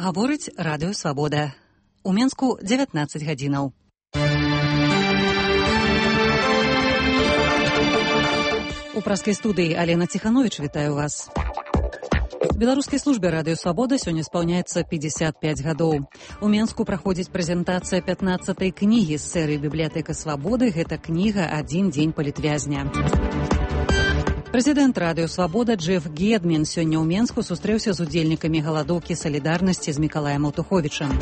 Гаворыць радыё Свабода. У Менску 19 гадзінаў. У праскай студыі Алена Ціхановіч вітаю вас. Беларускай службе радыё Свабода сёння спаўняецца 55 гадоў. У Менску праходзіць прэзентацыя 15-й кнігі з серыі «Бібліятэка Свабоды». Гэта кніга «Адзін дзень палітвязня». Прэзідэнт радыё Свабода Джеф Гедмін сёння ў Менску сустрэўся з удзельнікамі галадоўкі салідарнасці з Мікалаем Аўтуховічам.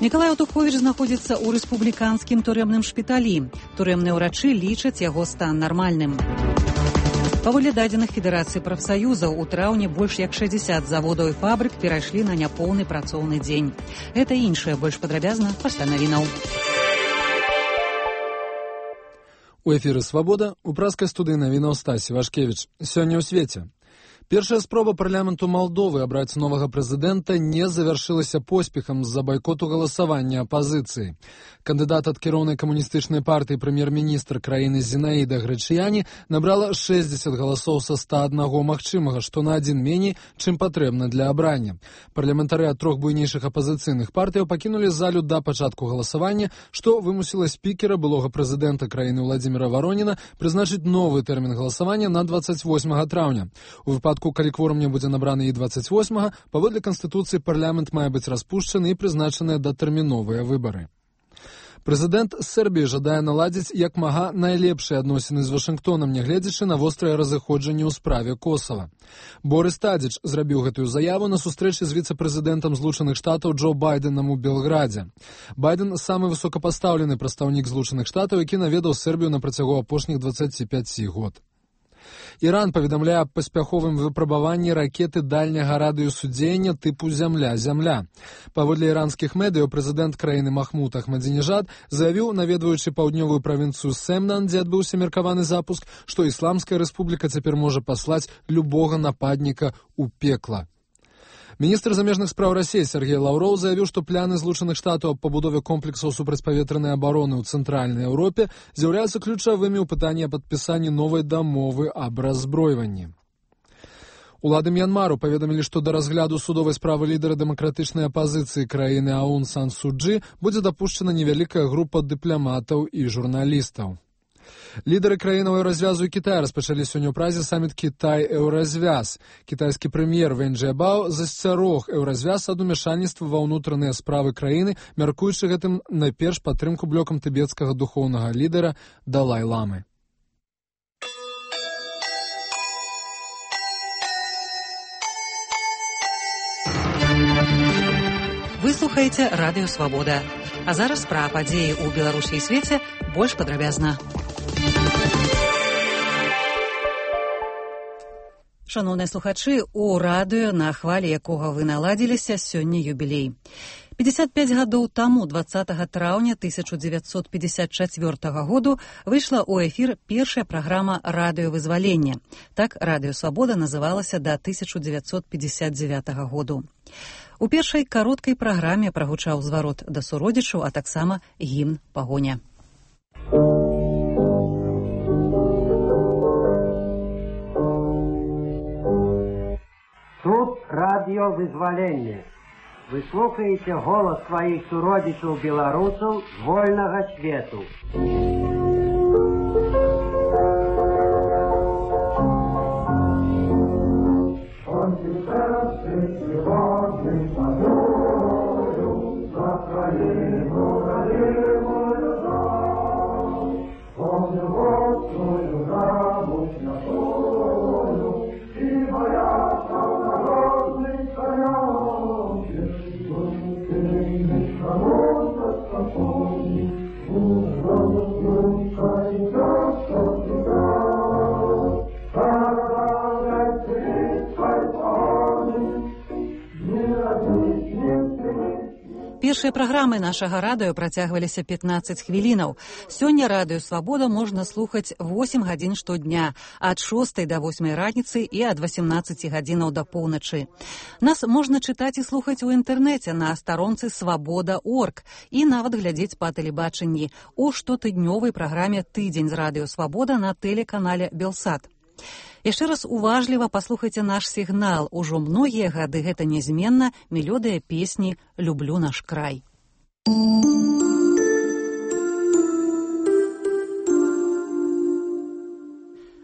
Мікалай Аўтуховіч знаходзіцца ў рэспубліканскім турэмным шпіталі. Турэмныя ўрачы лічаць яго стан нармальным. Паводле дадзеных Федэрацыі прафсаюзаў, у траўні больш як 60 заводаў і фабрык перайшлі на няпоўны працоўны дзень. Гэта і іншае больш падрабязна пасля навінаў. У эфіры «Свабода» у праскай студыі навінаў Стасі Вашкевіч. Сёння ў свеце. Першая спроба парламенту Малдовы абраць новага прэзідэнта не завяршылася поспехам з-за байкоту галасавання апазіцыі. Кандыдат ад кіроўнай камуністычнай партыі прэм'ер-міністр краіны Зінаіда Грэчыяні набрала 60 галасоў са 101 магчымага, што на адзін меней, чым патрэбна для абрання. Парламентары ад трох буйнейшых апазіцыйных партыяў пакінулі залю да пачатку галасавання, што вымусіла спікера былога прэзідэнта краіны Владзіміра Вароніна прызначыць новы тэрмін галасавання на 28 траўня. У выпадку, калі кворум не будзе набраны і 28-га, паводле Канстытуцыі парламент мае быць распушчаны і прызначаныя датэрміновыя выбары. Прэзідэнт Сербіі жадае наладзіць як мага найлепшыя адносіны з Вашынгтонам, нягледзячы на вострае разыходжанне ў справе Косава. Борыс Тадзіч зрабіў гэтую заяву на сустрэчы з віцэ-прэзідэнтам Злучаных Штатаў Джо Байдэнам у Белградзе. Байдэн – самы высокапастаўлены прадстаўнік Злучаных Штатаў, які наведаў Сербію на працягу апошніх 25 год. Іран паведамляе аб паспяховым выпрабаванні ракеты дальняга радыусу дзеяння тыпу «Зямля-Зямля». Паводле іранскіх медыяў, прэзідэнт краіны Махмуд Ахмадзінежад заявіў, наведваючы паўднёвую правінцыю Сэмнан, дзе адбыўся меркаваны запуск, што Ісламская рэспубліка цяпер можа паслаць любога нападніка ў пекла. Міністр замежных спраў Расіі Сергей Лаўроў заявіў, што пляны Злучаных Штатаў аб пабудове комплексаў супрацьпаветранай абароны ў цэнтральнай Еўропе з'яўляюцца ключавымі ў пытанні аб падпісанні новай дамовы аб раззброіванні. Улады Мьянмару паведамілі, што да разгляду судовай справы лідара дэмакратычнай апазіцыі краіны Аун Сан Су Чжы будзе дапушчана невялікая група дыпламатаў і журналістаў. Лідары краінаў еўразвязу і Кітая распачалі сёння ў Празе саміт Кітай-Еўразвяз. Кітайскі прэм'ер Вэн Джэбао засцярог еўразвяз ад умяшальніцтва ва ўнутраныя справы краіны, мяркуючы гэтым найперш падтрымку блокам тыбецкага духоўнага лідара Далай-ламы. Вы слухаеце радыё Свабода. А зараз пра падзеі ў Беларусі і свеце больш падрабязна. Шановныя слухачы, у радыё, на хвалі якога вы наладзіліся, сёння юбілей. 55 гадоў таму, 20 траўня 1954 году, выйшла ў эфір першая праграма радыёвызвалення. Так радыё Свабода называлася да 1959 году. У першай кароткай праграме прагучаў зварот да суродзічаў, а таксама гімн «Пагоня». Тут радыёвызваленне. Вы слухаеце голас сваіх суродзічаў-беларусаў з вольнага свету. Першыя праграмы нашага радыё працягваліся 15 хвілінаў. Сёння радыё Свабода можна слухаць 8 гадзін штодня, ад 6 да 8 раніцы і ад 18 гадзінаў да поўначы. Нас можна чытаць і слухаць у інтэрнэце на старонцы свабода.орг і нават глядзець па тэлебачанні у штотыднёвай праграме «Тыдзень з радыё Свабода» на тэлеканале «Белсат». Яшчэ раз уважліва паслухайце наш сігнал. Ужо многія гады гэта нязменна мелодыя песні «Люблю наш край».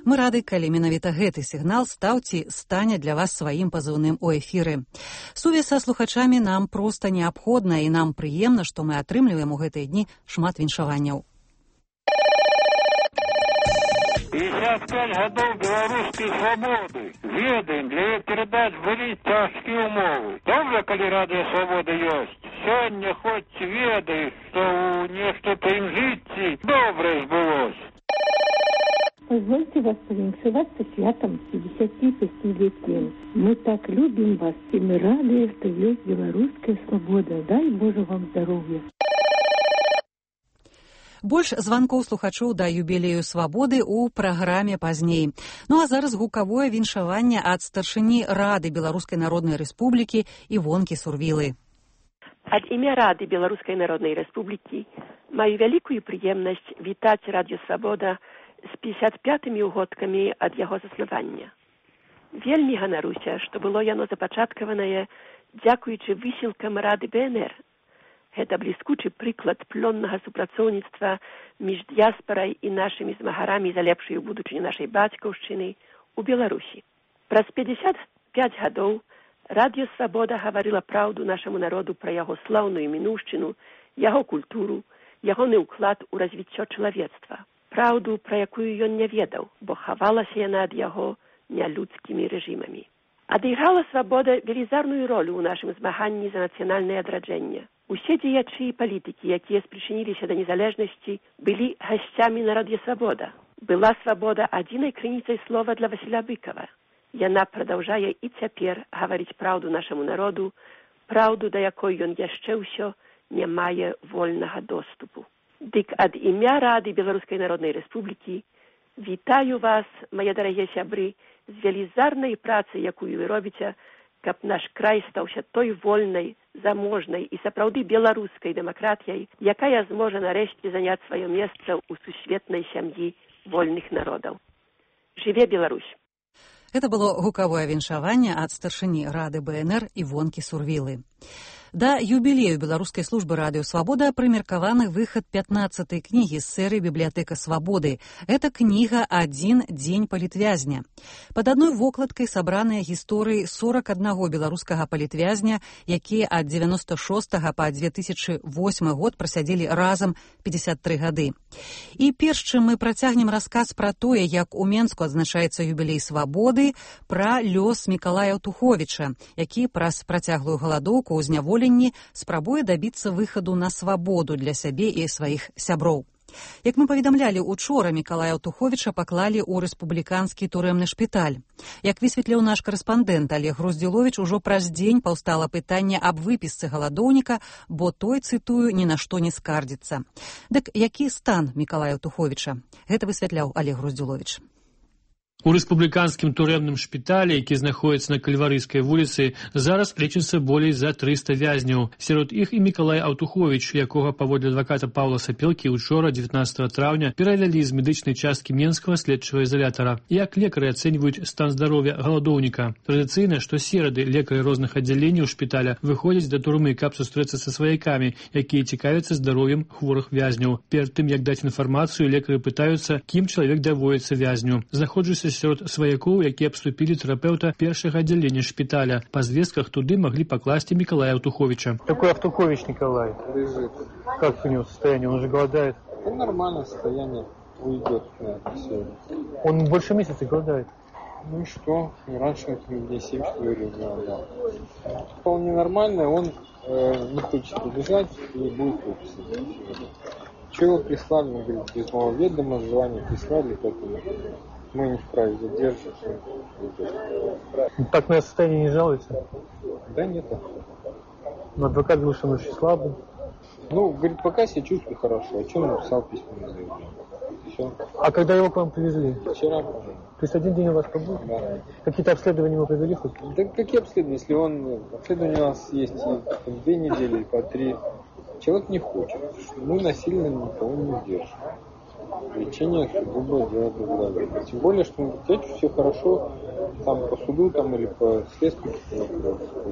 Мы рады, калі менавіта гэты сігнал стаў ці стане для вас сваім пазыўным у эфіры. Сувязь са слухачамі нам проста неабходна, і нам прыемна, што мы атрымліваем у гэтыя дні шмат віншаванняў. 55 годов белорусской свободы. Ведаем, для ее передач были тяжкие умовы. Добре, коли радио свобода есть. Сегодня хоть ведаешь, что нечто им житті добре сбылось. Позвольте вас повиншеваться святом 55-летием. Мы так любим вас, и мы рады, что есть белорусская свобода. Дай Боже вам здоровья. Больш званкоў слухачоў да юбілею свабоды ў праграме пазней. Ну а зараз гукавое віншаванне ад старшыні Рады Беларускай Народнай Рэспублікі Івонкі Сурвілы. Ад імя Рады Беларускай Народнай Рэспублікі маю вялікую прыемнасць вітаць Радыё Свабода з 55-ми угодкамі ад яго заснавання. Вельмі ганаруся, што было яно запачаткаванае дзякуючы высілкам Рады БНР. Гэта бліскучы прыклад плённага супрацоўніцтва між дыяспарай і нашымі змагарамі за лепшую будучыню нашай бацькаўшчыны ў Беларусі. Праз 55 гадоў Радыё Свабода гаварыла праўду нашаму народу пра яго слаўную мінуўшчыну, яго культуру, ягоны ўклад у развіццё чалавецтва. Праўду, пра якую ён не ведаў, бо хавалася яна ад яго нялюдскімі рэжымамі. Адыграла свабода велізарную ролю ў нашым змаганні за нацыянальнае адраджэнне. Усе дзеячы і палітыкі, якія спрычыніліся да незалежнасці, былі гасцямі на Радыё Свабода. Была свабода адзінай крыніцай слова для Васіля Быкова. Яна прадаўжае і цяпер гаварыць праўду нашаму народу, праўду, да якой ён яшчэ ўсё не мае вольнага доступу. Дык ад імя Рады Беларускай Народнай Рэспублікі вітаю вас, мае дарагія сябры, з велізарнай працай, якую вы робіце, каб наш край стаўся той вольнай, заможнай і сапраўды беларускай дэмакратіяй, якая зможа нарэшце заняць сваё месца ў сусветнай сям'і вольных народаў. Жыве Беларусь! Гэта было гукавое віншаванне ад старшыні Рады БНР Івонкі Сурвілы. Да юбілею Беларускай службы Радыё Свабода прымеркаваны выхад 15-й кнігі з серыі «Бібліятэка свабоды». Гэта кніга «Адзін дзень палітвязня». Пад адной вокладкай сабраныя гісторыі 41 беларускага палітвязня, якія ад 96 па 2008 год прасядзелі разам 53 гады. І перш чым мы працягнем расказ пра тое, як у Менску адзначаецца юбілей свабоды, пра лёс Мікалая Аўтуховіча, які праз працяглую галадоўку ў зняволенні спрабуе дабіцца выхаду на свабоду для сябе і сваіх сяброў. Як мы паведамлялі, учора Мікалая Аўтуховіча паклалі ў рэспубліканскі турэмны шпіталь. Як высветліў наш карэспандэнт Олег Груздзіловіч, ужо праз дзень паўстала пытанне аб выпісцы галадоўніка, бо той, цытую, ні на што не скардзіцца. Дык які стан Мікалая Аўтуховіча? Гэта высвятляў Олег Груздзіловіч. У рэспубліканскім турэмным шпіталі, які знаходіцца на Кальварыйскай вуліцы, зараз лічыцца болей за 300 вязняў. Сярод іх і Мікалай Аўтуховіч, якога паводле адваката Паўла Сапелкі учора, 19 траўня, перавялі з медычнай часткі Менскага следчага ізалятара. Як лекары ацэньваюць стан здароўя галадоўніка? Традыцыйна, што серады лекары розных аддзяленняў шпіталя выходзяць да турмы, каб сустрэцца са сваякамі, якія цікавяцца здароўем хворых вязняў. Перад тым, як даць інфармацыю, лекары пытаюцца, кім чалавек даводзіцца вязню. Знаходжуся сярод сваякоў, якія абступілі тэрапеўта першага аддзялення шпіталя. Па звестках туды маглі пакласці Мікалая Аўтуховіча. Какой Аўтухович Николай? Лежит. Как у него состояние? Он же голодает. Ну, нормальное состояние. Уйдет на это все. Он больше месяца голодает. Ну и что? Раньше дней 7, что ли, голодал. Вполне нормально. Он не хочет убежать и будет выписать. Чего прислали? Он говорит, без моего ведома, звание прислали, поэтому мы не вправе задерживать. Так на состояние не жалуется? Да нет. Но адвокат говорит, что он очень слабый. Ну, говорит, пока себя чувствую хорошо. А что он написал письменное заявление? Все. А когда его к вам привезли? Вчера. То есть один день у вас побыл? Да. Какие-то обследования ему провели хоть? Да какие обследования? Если обследования у нас есть и 2 недели, и по 3. Человек не хочет. Мы насильно никого не держим. лечение любое дело безвозмездно. Тем более, что дядьку все хорошо, там по суду там, или по следствию.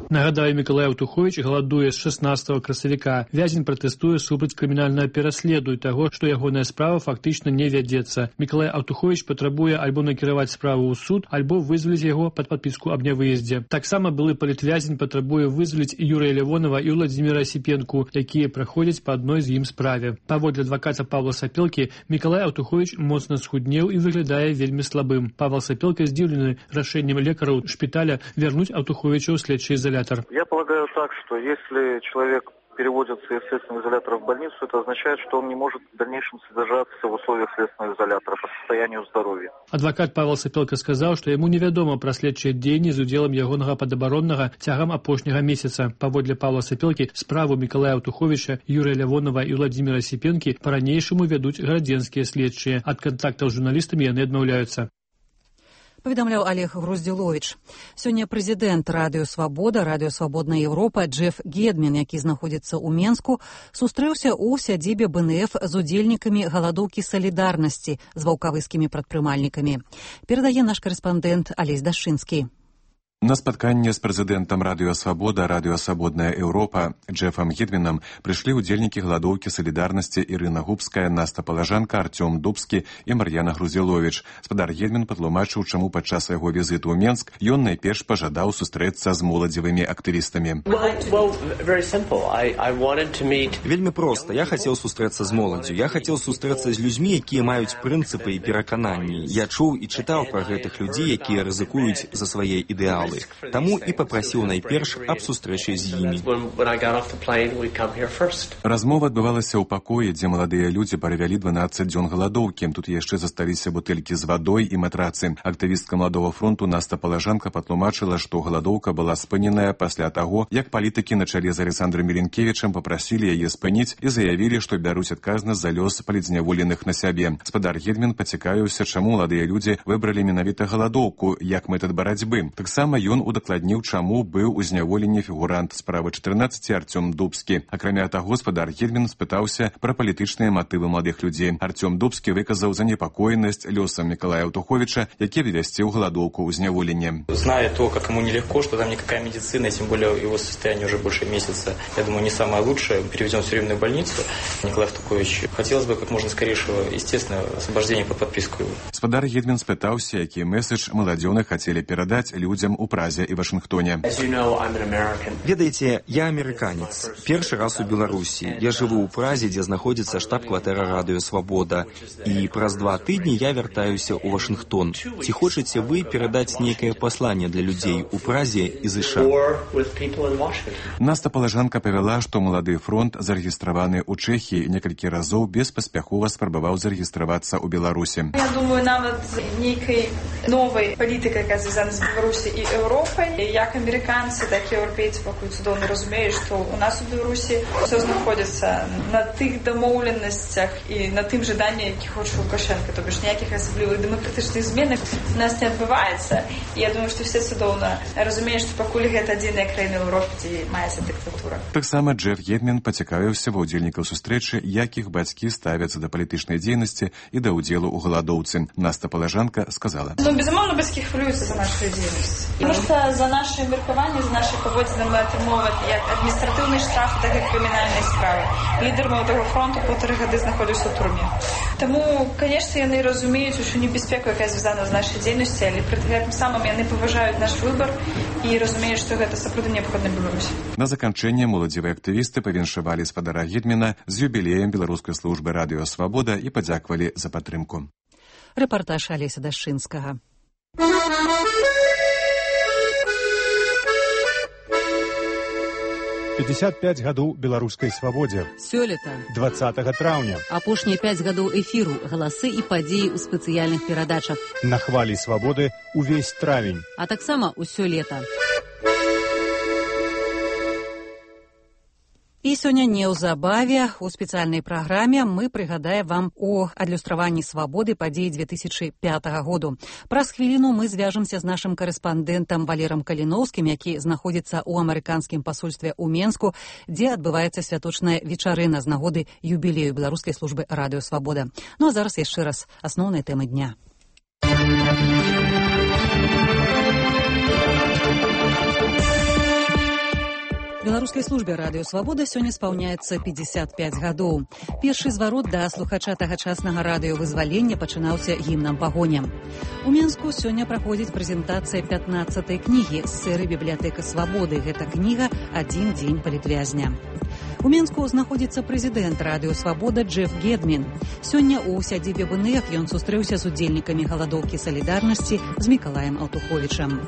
Нагадаю, Микалай Аўтуховіч галадуе з 16 красавіка. Вязень пратэстуе супраць крымінальнага пераследу і таго, што ягоная справа фактычна не вядзецца. Микалай Аўтуховіч патрабуе альбо накіраваць справу ў суд, альбо вызваліць яго пад падпіску аб нявыездзе. Таксама былы палітвязень патрабуе вызваліць і Юрыя Лявонова і Владзіміра Асіпенку, якія праходзяць па адной з ім справе. Паводле адваката Павла Сапелкі, Микалай Аўтуховіч моцна схуднеў і выглядае вельмі слабым. Павел Сапелка здзіўлены рашэннем лекараў шпіталя вернуть Аўтуховіча ў следчий изолятор. Я полагаю так, что если человек переводится из следственного изолятора в больницу, это означает, что он не может в дальнейшем содержаться в условиях следственного изолятора по состоянию здоровья. Адвокат Павел Сапелка сказал, что ему невядома пра следчыя дзеянні з удзелам ягонага падабароннага цягам апошняга месяца. Паводле Павла Сапелкі справу Микалая Аўтуховіча, Юрия Лявонова и Владимира Осипенки по-ранейшаму вядуць градзенскія следчыя. Ад кантактаў з журналістамі яны адмаўляюцца. Паведамляў Олег Груздзіловіч. Сёння прэзідэнт Радыё Свабода, Радыё Свабодная Еўропа Джеф Гедмін, які знаходзіцца ў Менску, сустрэўся ў сядзібе БНФ з удзельнікамі галадоўкі салідарнасці з ваўкавыскімі прадпрымальнікамі. Перадае наш карэспандэнт Алесь Дашынскі. На спатканне з прэзідэнтам Радыё Свабода, Радыё Свабодная Еўропа Джефам Гедмінам прыйшлі ўдзельнікі галадоўкі салідарнасці Ірына Губская, Наста Палажанка, Артём Дубскі і Мар'яна Груздзіловіч. Спадар Гедмін патлумачыў, чаму падчас яго візіту ў Менск ён найперш пажадаў сустрэцца з моладзевымі актывістамі. Вельмі проста. Я хацеў сустрэцца з моладдзю. Я хацеў сустрэцца з людзьмі, якія маюць прынцыпы і перакананні. Я чуў і чытаў пра гэтых людзей, якія рызыкуюць за свае ідэалы. Таму і папрасіў найперш аб сустрэчы з імі. Размова адбывалася ў пакоі, дзе маладыя людзі правялі 12 дзён галадоўкі. Тут яшчэ засталіся бутэлькі з вадой і матрацы. Актывістка Маладога фронту Наста Палажанка патлумачыла, што галадоўка была спыненая пасля таго, як палітыкі на чале з Александром Міленкевічам папрасілі яе спыніць і заявілі, што бяруць адказнасць за лёс палітзняволеных на сябе. Спадар Гедмін пацікавіўся, чаму маладыя людзі выбралі менавіта галадоўку як метад барацьбы. Таксама ён удакладніў, чаму быў у зняволенні фігурант справы 14 Артём Дубскі. Акрамя таго, спадар Гедмін спытаўся пра палітычныя матывы маладых людзей. Артём Дубскі выказаў занепакоенасць лёсам Микалая Аўтуховіча, які вывесціў галадоўку ў зняволенне. Зная то, как ему нелегко, что там никакая медицина, тем более его состояние уже больше месяца, я думаю, не самое лучшее, переведем в тюремную больницу. Николай Аўтухович, хотелось бы как можно скорейшего, естественно, освобождения под подписку. Спадар Гедмін спытаўся, які месседж маладзёны хацелі перадаць людзям у Празе і Вашынгтоне. Ведаеце, я амерыканец. Першы раз у Беларусі. Я жыву ў Празе, дзе знаходзіцца штаб-кватэра Радыё Свабода. І праз 2 тыдні я вяртаюся ў Вашынгтон. Ці хочаце вы перадаць нейкае пасланне для людзей у Празе і ЗША? Наста Палажанка павяла, што малады фронт зарэгістраваны ў Чэхіі, некалькі разоў беспаспяхова спрабаваў зарэгістравацца ў Беларусі. Я думаю, нават нейкай новай палітыкай, якая звязана з Беларусі і Європи, як американці, так і європейці пакуль цудоўна розуміють, що у нас у Білорусі все знаходиться на тих домовленостях і на тим жаданні, які хоче Лукашенко. Тобто ж ніяких особливих демократичних змін у нас не відбувається. І я думаю, що всі цудоўна розуміють, що пакуль гэта адзіная країна в Європі, де мається диктатура. Так само Джеф Гедмін пацікавіўся ва ўдзельнікаў сустрэчы, як іх бацькі ставяцца да палітычнай дзейнасці і да ўдзелу ў галадоўцы. Наста Палажанка сказала: безумовно, бацькі хвилююцца за нашу дзейнасць. Тому що за наше міркування, за наші поводзіни ми отримували як адміністративний штраф, так і кримінальні справи. Лідер Молодого фронту 1,5 роки знаходився у турмі. Тому, звісно, вони розуміють усю небезпеку, яка зв'язана з нашою діяльністю, але при тим самим вони поважають наш вибір і розуміють, що це сапраўды необхідно Білорусі. На заканчэнне моладзевыя актывісты павіншавалі спадара Гедміна з юбілеем беларускай службы Радыё Свабода і падзякавалі за падтрымку. Рэпартаж Алеся Дашынскага. 55 гадоў беларускай свабодзе. Сёлета 20 траўня. Апошнія 5 гадоў эфіру, галасы і падзеі ў спецыяльных перадачах. На хвалі свабоды увесь травень. А таксама ўсё лета. І сёння неўзабаве у спецыяльнай праграме мы прыгадаем вам о адлюстраванні свабоды падзей 2005 году. Праз хвіліну мы звяжемся з нашым карэспандэнтам Валерам Каліноўскім, які знаходзіцца ў амерыканскім пасольстве ў Менску, дзе адбываецца святочная вечарына з нагоды юбілею беларускай службы радыё Свабода. Ну а зараз яшчэ раз асноўныя тэмы дня. Беларускай службе радыё Свабода сёння спаўняецца 55 гадоў. Першы зварот да слухача тагачаснага радыёвызвалення пачынаўся гімнам пагоням. У Менску сёння праходзіць прэзентацыя 15-й кнігі з серыі «Бібліятэка Свабоды». Гэта кніга «Адзін дзень палітвязня». У Менску знаходзіцца прэзідэнт радыё Свабода Джеф Гедмін. Сёння ў сядзібе БНФ ён сустрэўся з удзельнікамі галадоўкі салідарнасці з Мікалаем Алтуховічам.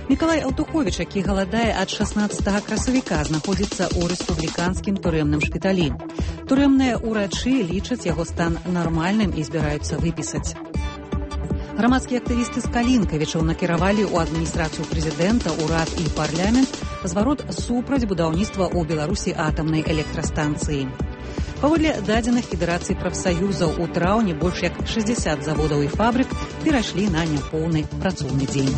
Мікалай Алтуховіч, які галадае ад 16 красавіка, знаходзіцца ў рэспубліканскім турэмным шпіталі. Турэмныя ўрачы лічаць яго стан нармальным і збіраюцца выпісаць. Грамадскія актывісты з Калінкавічаў накіравалі ў адміністрацыю прэзідэнта, урад і парламент зварот супраць будаўніцтва ў Беларусі атамнай электрастанцыі. Паводле дадзеных Федэрацыі прафсаюзаў, у траўні больш як 60 заводаў і фабрык перайшлі на няпоўны працоўны дзень.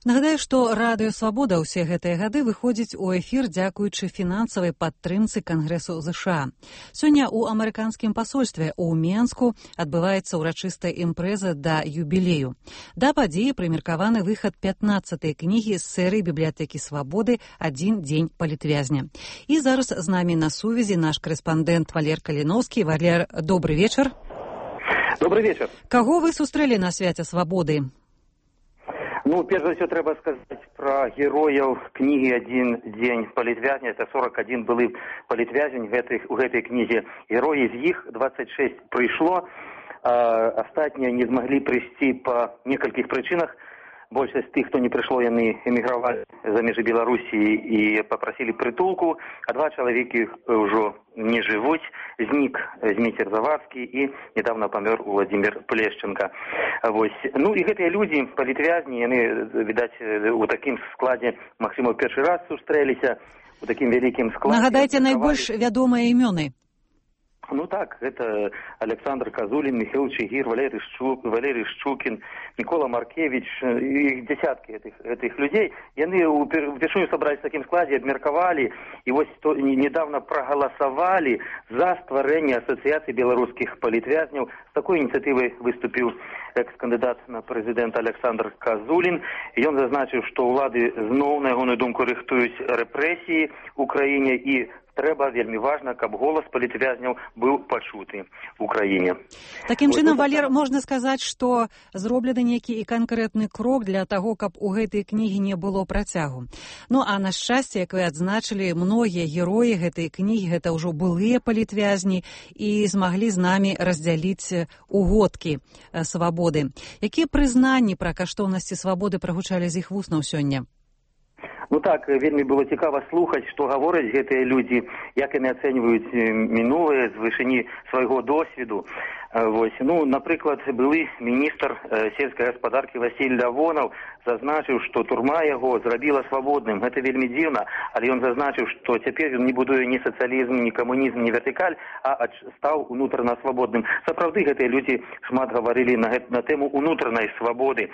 Нагадаю, што радыё Свабода ўсе гэтыя гады выходзіць у эфір дзякуючы фінансавай падтрымцы Кангрэсу ЗША. Сёння ў амерыканскім пасольстве ў Менску адбываецца ўрачыстая імпрэза да юбілею. Да падзеі прымеркаваны выхад 15-й кнігі з серыі «Бібліятэкі Свабоды. Адзін дзень палітвязня». І зараз з намі на сувязі наш корэспандэнт Валер Каліноўскі. Валер, добрый вечар. Добрый вечар. Каго вы сустрэлі на свяце Свабоды? Ну, перш за ўсё трэба сказаць пра герояў кнігі «Адзін дзень палітвязня». Это 41 былы палітвязень у гэтай кнізе. Героі з іх 26 прыйшло, а астатнія не змаглі прыйсці па некалькіх прычынах. Большасць тых, хто не прыйшло, яны эмігравалі за межы Беларусі і папрасілі прытулку, а 2 чалавекі ўжо не жывуць. Знік Зміцер Завадскі і недавно памёр Владимир Плешченко. Вось. Ну і гэтыя людзі, палітвязні, яны, відаць, у такім складзе, магчыма, ў першы раз сустрэліся, у такім вялікім складзе. Нагадайце найбольш вядомыя імёны. Ну так, это Александр Козулин, Михаил Чигир, Валерий Шчукин, Микола Маркевич, их десятки этих людей. Яны впервые собрались в таким складе, обмерковали, и вот недавно проголосовали за створение Ассоциации белорусских политвязнев. С такой инициативой выступил экс-кандидат на президента Александр Козулин. И он зазначил, что улады зноў, на ягоную думку, рыхтуюць рэпрэсіі ў краіне, і трэба, вельмі важна, каб голас палітвязняў быў пачуты ў краіне. Такім чынам, Валер, можна сказаць, што зроблены нейкі і канкрэтны крок для таго, каб у гэтай кнігі не было працягу. Ну, а на шчасце, як вы адзначылі, многія героі гэтай кнігі, гэта ўжо былыя палітвязні і змаглі з намі раздзяліць угодкі свабоды. Якія прызнанні пра каштоўнасці свабоды прагучалі з іх вуснаў сёння? Ну так, вельмі было цікава слухаць, што гавораць гэтыя людзі, як яны ацэньваюць мінулае з вышыні свайго досведу. Вось. Ну, напрыклад, былы міністр сельскай гаспадаркі Васіль Лявонаў зазначыў, што турма яго зрабіла свабодным. Гэта вельмі дзіўна, але ён зазначыў, што цяпер ён не будуе ні сацыялізм, ні камунізм, ні вертыкаль, а стаў унутрана свабодным. Сапраўды гэтыя людзі шмат гаварылі на тэму унутранай свабоды.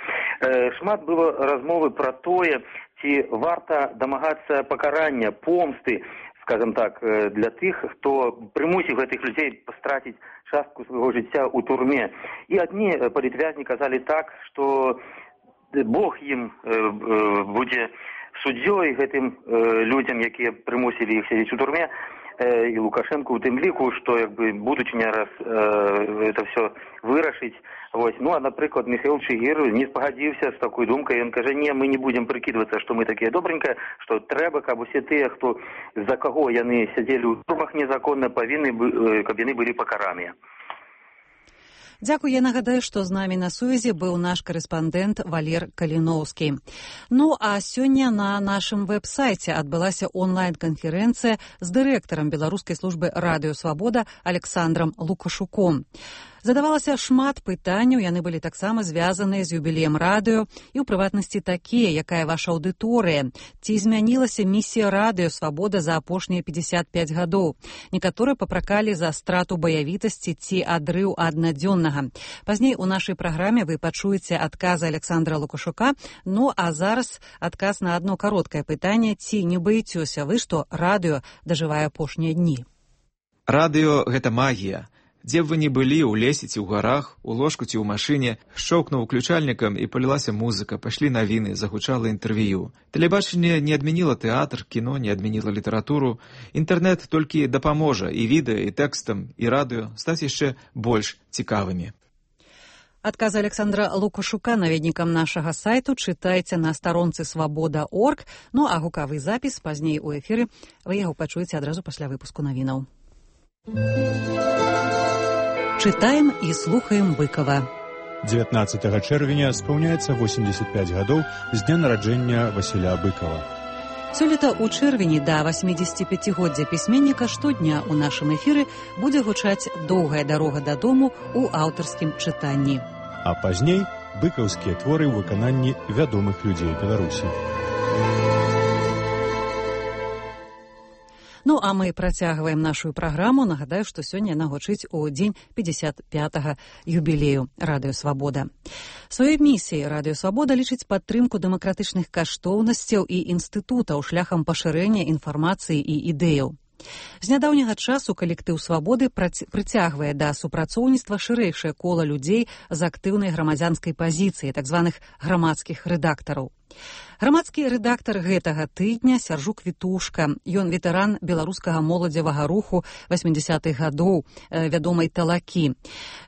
Шмат было размовы пра тое, ці варта дамагацца пакарання, помсты, скажем так, для тых, хто прымусіў гэтых людзей страціць частку свайго жыцця ў турме. І адні палітвязні казалі так, што Бог ім будзе суддзёй гэтым людзям, якія прымусілі іх сядзець у турме, і Лукашенко ў тым ліку, што будучыня раз это все вырашыць. Вось. Ну, а, напрыклад, Михаил Чигир не спагадзіўся з такой думкай. Ён кажа, не, мы не будем прыкідвацца, што мы такія добренькая, што трэба, каб усе тыя, хто за каго яны сядзелі ў турмах незаконна, павінны, каб яны былі пакараныя. Дзякуй, я нагадаю, што з намі на сувязі быў наш корэспандэнт Валер Каліноўскі. Ну, а сёння на нашым вэб-сайце адбылася онлайн-канферэнцыя з дырэктарам Беларускай службы радыё Свабода Александрам Лукашуком. Задавалася шмат пытанняў, яны былі таксама звязаныя з юбілеем радыё, і ў прыватнасці такія, якая ваша аўдыторыя, ці змянілася місія радыё «Свабода» за апошнія 55 гадоў. Некаторыя папракалі за страту баявітасці ці адрыў аднадзённага. Пазней у нашай праграме вы пачуеце адказы Александра Лукашука, ну а зараз адказ на одно кароткае пытанне, ці не баіцёся вы, што радыё дажывае апошнія дні? Радыё – гэта магія. Дзе б вы не былі, у лесе ці ў гарах, у ложку ці ў машыне, шчоўкнуў уключальнікам і палілася музыка, пайшлі навіны, загучала інтэрв'ю. Тэлебачанне не адмяніла тэатр, кіно не адмяніла літаратуру. Інтэрнэт толькі дапаможа і відэа, і тэкстам, і радыё стаць яшчэ больш цікавымі. Адказ Александра Лукашука наведнікам нашага сайту чытайце на старонцы свабода.орг, ну а гукавы запіс пазней у эфіры вы яго пачуеце адразу пасля выпуску навінаў. Чытаем і слухаем Быкова. 19 чэрвеня спаўняецца 85 гадоў з дня нараджэння Васіля Быкова. Сёлета ў чэрвені да 85-годдзя пісьменніка штодня ў нашым эфіры будзе гучаць «Доўгая дарога дадому» ў аўтарскім чытанні. А пазней быкаўскія творы ў выкананні вядомых людзей Беларусі. Ну, а мы працягваем нашу праграму. Нагадаю, што сёння яна гучыць у дзень 55-га юбілею радыё «Свабода». Сваёй місіяй радыё «Свабода» лічыць падтрымку дэмакратычных каштоўнасцяў і інстытутаў шляхам пашырэння інфармацыі і ідэяў. З нядаўняга часу калектыў «Свабоды» прыцягвае да супрацоўніцтва шырэйшае кола людзей з актыўнай грамадзянскай пазіцыі, так званых грамадскіх рэдактараў. Грамадскі рэдактар гэтага тыдня Сяржук Вітушка. Ён ветэран беларускага моладзевага руху 80-х гадоў, вядомай талакі.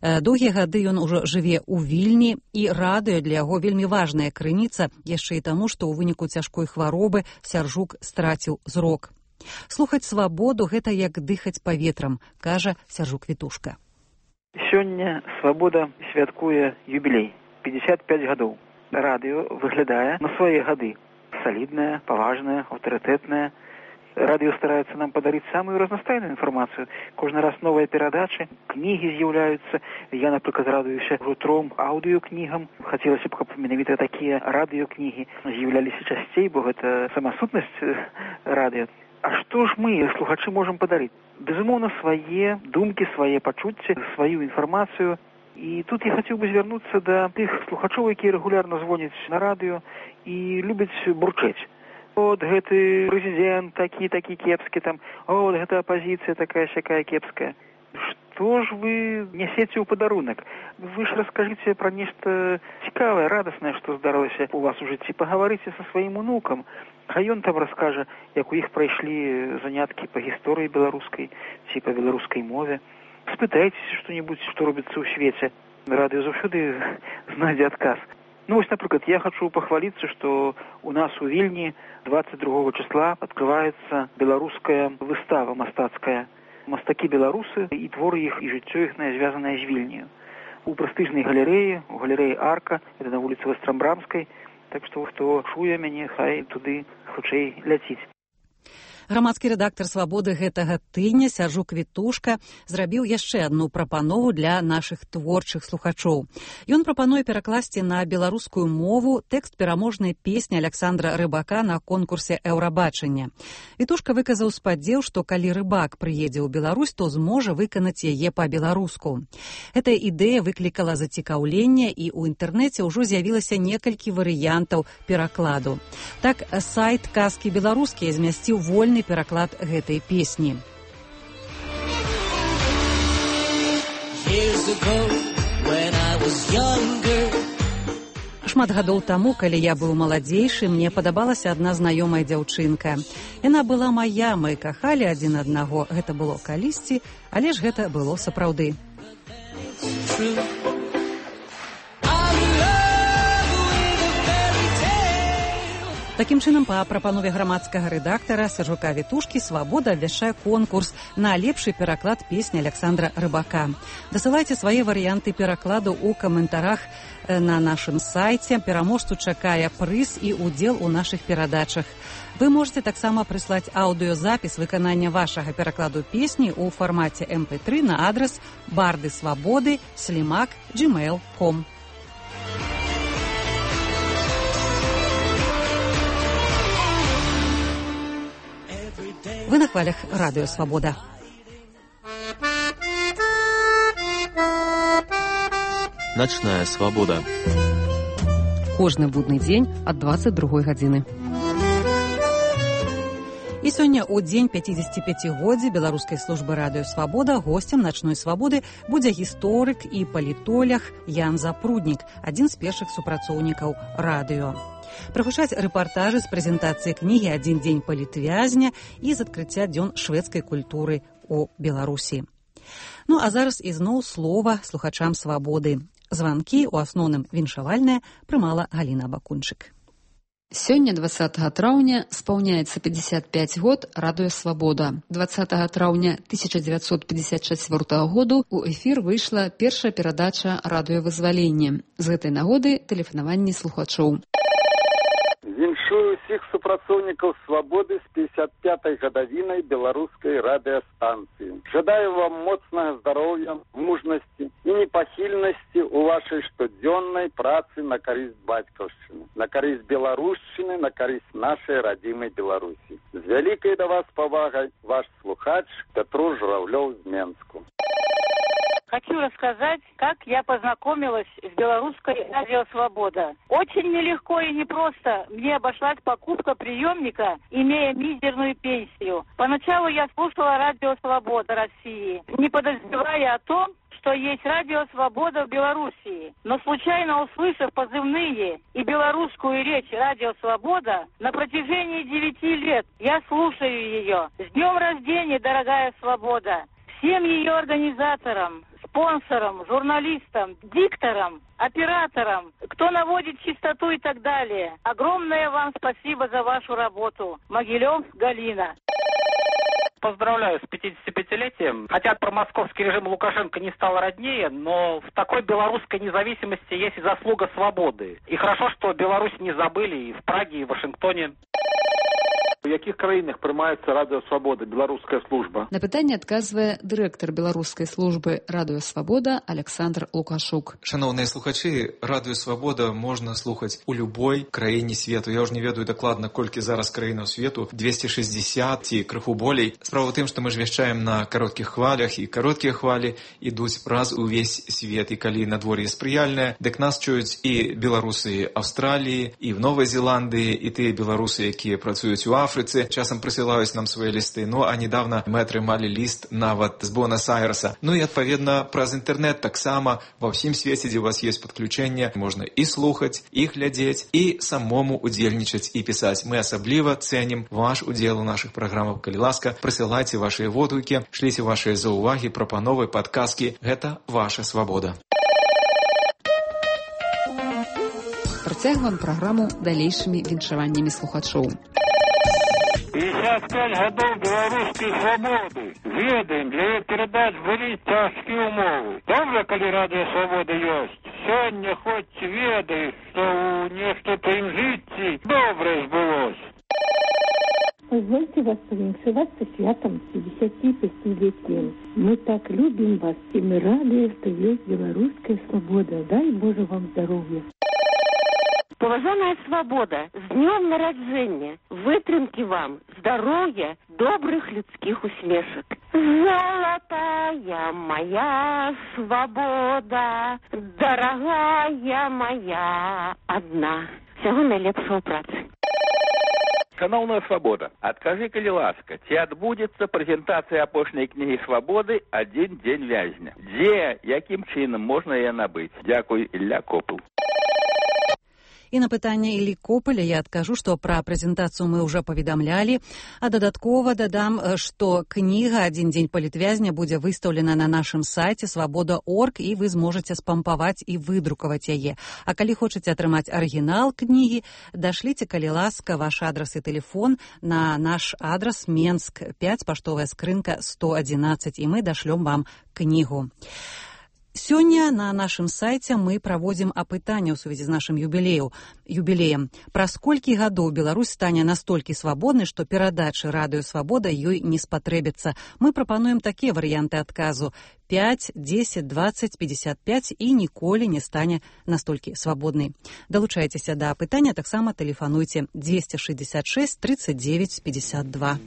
Доўгія гады ён ужо жыве ў Вільні, і радыё для яго вельмі важная крыніца, яшчэ і таму, што ў выніку цяжкой хваробы Сяржук страціў зрок. Слухаць свабоду – гэта як дыхаць паветрам, кажа Сяржук Вітушка. Сёння «Свабода» святкуе юбілей – 55 гадоў. Радыё выглядае на свае гады. Саліднае, паважнае, аўтарытэтнае. Радыё стараецца нам падарыць самую разнастайную інфармацыю. Кожны раз новыя перадачы, кнігі з'яўляюцца. Я, напрыклад, радуюся ўжо 3 аўдыёкнігам. Хацелася б, каб менавіта такія радыёкнігі з'яўляліся часцей, бо гэта сама сутнасць радыё. А што ж мы, слухачы, можам падарыць? Безумоўна, свае думкі, свае пачуцці, сваю інфармацыю. І тут я хацеў бы звярнуцца да тых слухачоў, якія рэгулярна звоняць на радыё і любяць бурчэць. От гэты прэзідэнт такі кепскі, там, от гэта апазіцыя такая-сякая кепская. Што ж вы нясеце ў падарунак? Вы ж раскажыце пра нешта цікавае, радаснае, што здарылася у вас у жыцці. Пагаварыце са сваім унукам, а ён там раскажа, як у іх прайшлі заняткі па гісторыі беларускай ці па беларускай мове. Спытайцеся што-небудзь, што робіцца ў свеце. Радыё заўсёды знайдзе адказ. Ну, вось, напрыклад, я хачу пахваліцца, што у нас у Вільні 22 числа адкрываецца беларуская выстава мастацкая. Мастакі-беларусы і творы іх, і жыццё іхнае звязанае з Вільняю. У прэстыжнай галерэі, у галерэі «Арка», это на вуліцы Вастрабрамскай, так што хто чуе мяне, хай туды хутчэй ляціць. Грамадскі рэдактар «Свабоды» гэтага тыдня Сяржук Вітушка зрабіў яшчэ адну прапанову для нашых творчых слухачоў. Ён прапануе перакласці на беларускую мову тэкст пераможнай песні Александра Рыбака на конкурсе «Еўрабачання». Вітушка выказаў спадзеў, што калі Рыбак прыедзе ў Беларусь, то зможа выканаць яе па-беларуску. Гэтая ідэя выклікала зацікаўленне, і ў інтэрнэце ўжо з'явілася некалькі варыянтаў перакладу. Так, сайт «Казкі беларускія» змясціў вольны пераклад гэтай песні. Шмат гадоў таму, калі я быў маладзейшы, мне падабалася адна знаёмая дзяўчынка. Яна была мая, мы кахалі адзін аднаго. Гэта было калісьці, але ж гэта было сапраўды. Такім чынам, па прапанове грамадскага рэдактара Сержука Вітушкі «Свабода» абвяшчае конкурс на лепшы пераклад песні Александра Рыбака. Дасылайце свае варыянты перакладу ў каментарах на нашым сайце. Пераможцу чакае прыз і удзел у нашых перадачах. Вы можете таксама прыслаць аўдыёзапіс выканання вашага перакладу песні ў фармаце MP3 на адрас bardysvabody@gmail.com. Вы на хвалях Радыё Свабода. Начная свабода. Кожны будны дзень ад 22 гадзіны. І сёння ў дзень 55-годдзя беларускай службы Радыё Свабода госцем начной свабоды будзе гісторык і палітолог Ян Запруднік, адзін з першых супрацоўнікаў радыё. Прагучаць рэпартажы з прэзентацыі кнігі «Адзін дзень палітвязня» і з адкрыцця дзён шведскай культуры ў Беларусі. Ну а зараз ізноў слова слухачам свабоды. Званкі, у асноўным віншавальныя, прымала Галіна Бакунчык. Сёння, 20 траўня, спаўняецца 55 год Радыё Свабода. 20 траўня 1954 году у эфір выйшла першая перадача «Радыёвызваленне». З гэтай нагоды тэлефанаванні слухачоў. Віншую ўсіх супрацоўнікаў свабоды з 55-й гадавінай беларускай радыёстанцыі. Жадаю вам моцнага здароўя, мужнасці і непахільнасці ў вашай штодзённай працы на карысць бацькаўшчыны, на карысць беларушчыны, на карысць нашай радзімай Беларусі. З вялікай да вас павагай ваш слухач Петру Журавлёў з Менску. Хочу рассказать, как я познакомилась с белорусской радио «Свобода». Очень нелегко и непросто мне обошлась покупка приемника, имея мизерную пенсию. Поначалу я слушала радио «Свобода» России, не подозревая о том, что есть радио «Свобода» в Белоруссии. Но случайно услышав позывные и белорусскую речь радио «Свобода», на протяжении 9 лет я слушаю ее. С днем рождения, дорогая «Свобода». Всем ее организаторам, спонсорам, журналистам, дикторам, операторам, кто наводит чистоту и так далее. Огромное вам спасибо за вашу работу. Могилев, Галина. Поздравляю с 55-летием. Хотя про московский режим Лукашенко не стало роднее, но в такой белорусской независимости есть и заслуга свободы. И хорошо, что Беларусь не забыли и в Праге, и в Вашингтоне. У якіх краінах прымаецца Радыё Свабода, беларуская служба? На пытанне адказвае дырэктар беларускай службы Радыё Свабода Александр Лукашук. Шановныя слухачы, Радыё Свабода можна слухаць у любой краіне свету. Я ўжо не ведаю дакладна, колькі зараз краінаў свету, 260 ці крыху болей. Справа ў тым, што мы ж вяшчаем на кароткіх хвалях, і кароткія хвалі ідуць праз увесь свет. І калі надвор'е спрыяльнае, дык нас чуюць і беларусы Аўстраліі, і в Новай Зеландыі, і тыя беларусы, якія працуюць у Афрыцы, часам прысылаюць нам свае лісты. Ну, а недавно мы атрымалі ліст нават з Буэнас-Айрэса. Ну і, адпаведна, праз інтэрнэт таксама ва ўсім свеце, дзе у вас ёсць падключэнне, можна і слухаць, і глядзець, і самому удзельнічаць і пісаць. Мы асабліва цэнім ваш удзел у нашых праграмах. Калі ласка, прысылайце вашыя водгукі, шліце вашыя заўвагі, прапановы, падказкі. Гэта ваша свабода. Працягваем праграму далейшымі віншаваннямі слухачоў. 55 годов белорусской свободы. Ведаем, для ее передач были тяжкие умовы. Добре, коли Радио Свобода есть. Сегодня хоть ведаешь, что у нечто им житті добре сбылось. Позвольте вас повиншеваться святом 55-летием. Мы так любим вас, и мы рады, что есть белорусская свобода. Дай Боже вам здоровья. Поважаная свобода, с днем народжения, вытрымки вам, здоровья, добрых людских усмешек. Золотая моя свобода, дорогая моя одна. Всего наилепшего працы. Шановная свобода, адкажы, калі ласка, ці адбудзецца прэзентацыя апошняй кнігі свабоды «Адзін дзень вязня». Дзе, якім чынам можна яе набыць? Дзякуй, Ілля Копыл. І на пытанне Іллі Кополя я адкажу, што пра прэзентацыю мы ўжо паведамлялі, а дадаткова дадам, што кніга «Адзін дзень палітвязня» будзе выстаўлена на нашым сайце «Свабода.орг», і вы зможаце спампаваць і выдрукаваць яе. А калі хочаце атрымаць арыгінал кнігі, дашліце, калі ласка, ваш адрас і тэлефон на наш адрас Менск 5, паштовая скрынка 111, і мы дашлём вам кнігу. Сёння на нашым сайце мы праводзім апытанне ў сувязі з нашым юбілеем. Праз колькі гадоў Беларусь стане настолькі свабоднай, што перадачы радыё «Свабода» ёй не спатрэбіцца. Мы прапануем такія варыянты адказу: 5, 10, 20, 55 і ніколі не стане настолькі свабоднай. Далучайцеся да апытання, таксама тэлефануйце 266 39 52.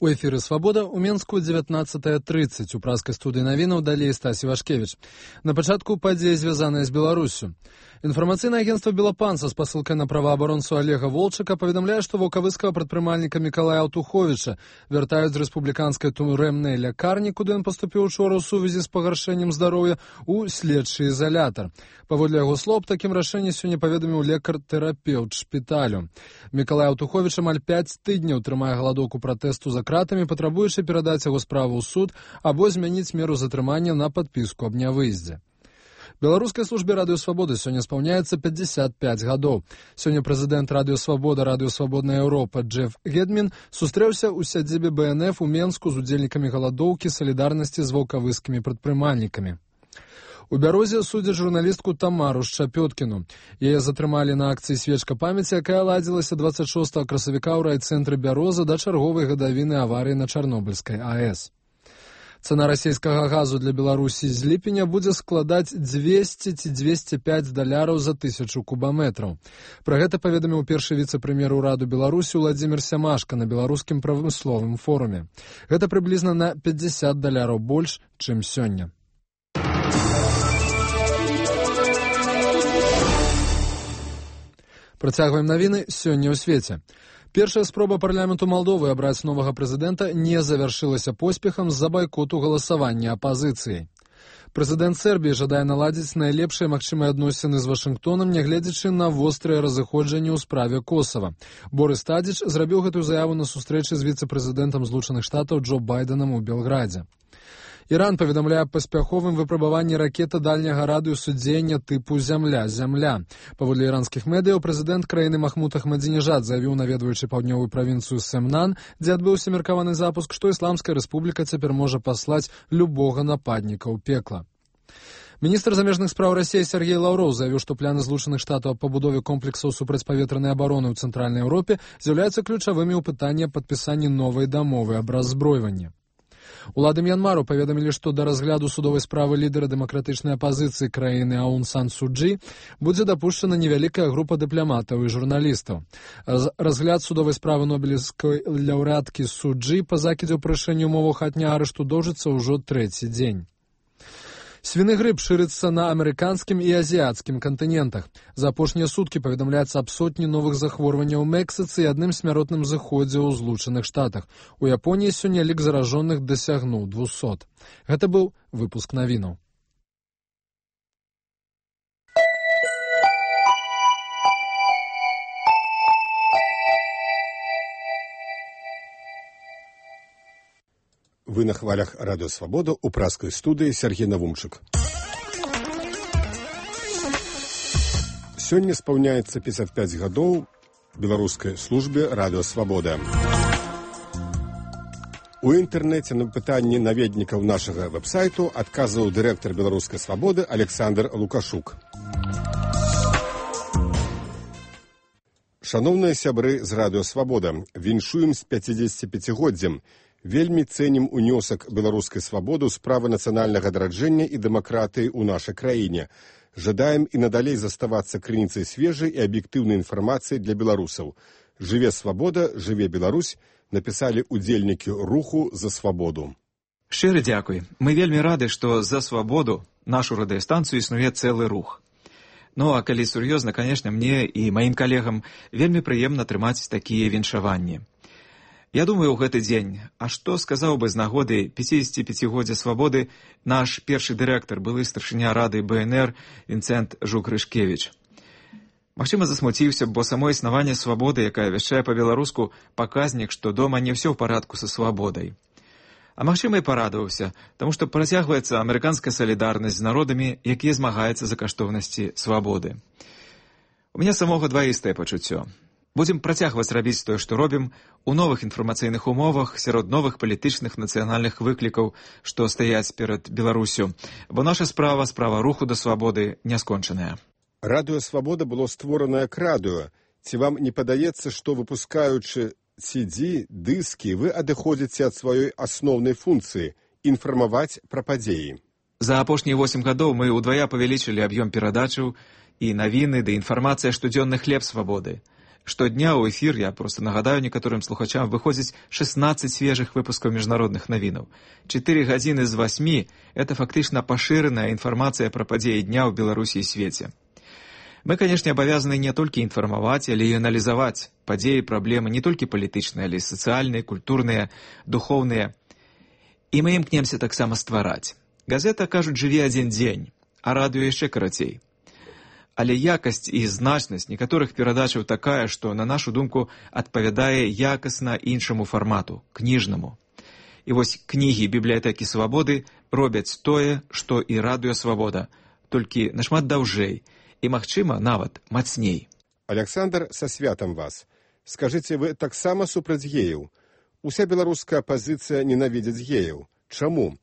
У эфіры «Свабода» у Менску 19:30. У праскай студыі навінаў далей Стасі Вашкевіч. На пачатку падзеі, звязаныя з Беларуссю. Інфармацыйнае агенцтва «Белапанца» з пасылкай на праваабаронцу Олега Волчака паведамляе, што ваўкавыскага прадпрымальніка Мікалая Аўтуховіча вяртаюць з рэспубліканскай турэмнай лякарні, куды ён паступіў учора ў сувязі з пагаршэннем здароўя, у следчы ізалятар. Паводле яго слоў, такім рашэнне сёння паведаміў лекар-тэрапеўт шпіталю. Мікалай Аўтуховіч амаль 5 тыдняў трымае галадоўку пратэсту за кратамі, патрабуючы перадаць яго справу ў суд або змяніць меру затрымання на падпіску аб нявыездзе. Беларускай службе радыё «Свабода» сёння спаўняецца 55 гадоў. Сёння прэзідэнт радыё «Свабода», радыё «Свабодная Еўропа» Джеф Гедмін сустрэўся ў сядзібе БНФ у Менску з удзельнікамі галадоўкі салідарнасці з ваўкавыскімі прадпрымальнікамі. У Бярозе судзяць журналістку Тамару Шчапёткіну. Яе затрымалі на акцыі «Свечка памяці», якая ладзілася 26 красавіка ў райцэнтры Бяроза да чарговай гадавіны аварыі на Чарнобыльскай АЭС. Цана расійскага газу для Беларусі з ліпеня будзе складаць 200 ці 205 даляраў за 1000 кубаметраў. Пра гэта паведаміў першы віцэ-прэм'ер ураду Беларусі Уладзімір Сямашка на беларускім прамысловым форуме. Гэта прыблізна на 50 даляраў больш, чым сёння. Працягваем навіны сёння ў свеце. Першая спроба парламенту Малдовы абраць новага прэзідэнта не завяршылася поспехам з-за байкоту галасавання апазіцыяй. Прэзідэнт Сербіі жадае наладзіць найлепшыя магчымыя адносіны з Вашынгтонам, нягледзячы на вострыя разыходжанні ў справе Косава. Борыс Тадзіч зрабіў гэтую заяву на сустрэчы з віцэ-прэзідэнтам Злучаных Штатаў Джо Байденам у Белградзе. Іран паведамляе аб паспяховым выпрабаванні ракеты дальняга радыусу дзеяння тыпу «Зямля». Паводле іранскіх медыяў, прэзідэнт краіны Махмуд Ахмадзінежад заявіў, наведваючы паўднёвую правінцыю Сэмнан, дзе адбыўся меркаваны запуск, што Ісламская рэспубліка цяпер можа паслаць любога нападніка ў пекла. Міністр замежных спраў Расіі Сергей Лаўроў заявіў, што пляны Злучаных Штатаў аб пабудове комплексаў супрацьпаветранай абароны ў Цэнтральнай Еўропе з'яўляюцца ключавымі ў пытанні аб падпісанні новай дамовы аб раззброiванні. Улады Мьянмару паведамілі, што да разгляду судовай справы лідара дэмакратычнай апазіцыі краіны Аун Сан Су Чжі будзе дапушчана невялікая група дыпламатаў і журналістаў. Разгляд судовай справы нобелеўскай лаўрэаткі Су Чжі па закідзе ў парушэнні ўмоваў хатняга арышту доўжыцца ўжо 3-й дзень. Свіны грып шырыцца на амерыканскім і азіяцкім кантынентах. За апошнія суткі паведамляецца аб сотні новых захворванняў у Мексіцы і адным смяротным зыходзе ў Злучаных Штатах. У Японіі сёння лік заражоных дасягнуў 200. Гэта быў выпуск навінаў. Вы на хвалях радыё «Свабода» у праскай студыі Сергей Навумчык. Сёння спаўняецца 55 гадоў беларускай службе радыё «Свабода». У інтэрнэце на пытанні наведнікаў нашага вэб-сайту адказваў дырэктар беларускай «Свабоды» Александр Лукашук. Шаноўныя сябры з радыё «Свабода», віншуем з 55-годдзям. Вельмі цэнім унёсак беларускай свабоды ў справы нацыянальнага адраджэння і дэмакратыі ў нашай краіне. Жадаем и надалей заставаться крыницей свежей и объективной информации для белорусов. «Живе свобода, живе Беларусь», написали удзельнікі руху за свабоду. Шчыры дзякуй. Мы вельмі рады, што за свабоду нашу радыёстанцыю існуе цэлы рух. Ну, а калі сур'ёзна, канешне, мне і маім калегам вельмі прыемна трымаць такія віншаванні. Я думаю, ў гэты дзень, а што сказаў бы з нагоды 55-годдзя свабоды наш першы дырэктар, былы старшыня рады БНР Вінцэнт Жук-Рышкевіч. Магчыма, засмуціўся, бо само існаванне свабоды, якая вяшчае па-беларуску, паказнік, што дома не ўсё ў парадку са свабодай. А магчыма, і парадаваўся, таму што працягваецца амерыканская салідарнасць з народамі, якія змагаюцца за каштоўнасці свабоды. У мяне самога дваістае пачуццё. Будзем працягваць рабіць тое, што робім, у новых інфармацыйных умовах, сярод новых палітычных нацыянальных выклікаў, што стаяць перад Беларусю, бо наша справа руху да свабоды няскончаная. Радыё «Свабода» было створана як радыё. Ці вам не падаецца, што, выпускаючы CD, дыскі, вы адыходзіце ад сваёй асноўнай функцыі – інфармаваць пра падзеі? За апошнія 8 гадоў мы ўдвая павялічылі аб'ём перадачаў і навіны ды інфармацыя штодзённы хлеб свабоды. Штодня ў эфір, я проста нагадаю некаторым слухачам, выходзіць 16 свежых выпускаў міжнародных навінаў. 4 гадзіны з 8 – это фактычна пашыраная інфармацыя пра падзеі дня ў Беларусі і свеце. Мы, канешне, абавязаны не толькі інфармаваць, але і аналізаваць падзеі, праблемы не толькі палітычныя, але і сацыяльныя, культурныя, духоўныя. І мы імкнемся таксама ствараць. Газета, кажуць, жыве адзін дзень, а радыё яшчэ карацей. Але якасць і значнасць некаторых перадачаў такая, што, на нашу думку, адпавядае якасна іншаму фармату, кніжнаму. І вось кнігі бібліятэкі свабоды робяць тое, што і радыё «Свабода», толькі нашмат даўжэй, і, магчыма, нават мацней. Александр, са святам вас. Скажыце, вы таксама супраць геяў? Уся беларуская апазіцыя ненавідзяць геяў. Чаму?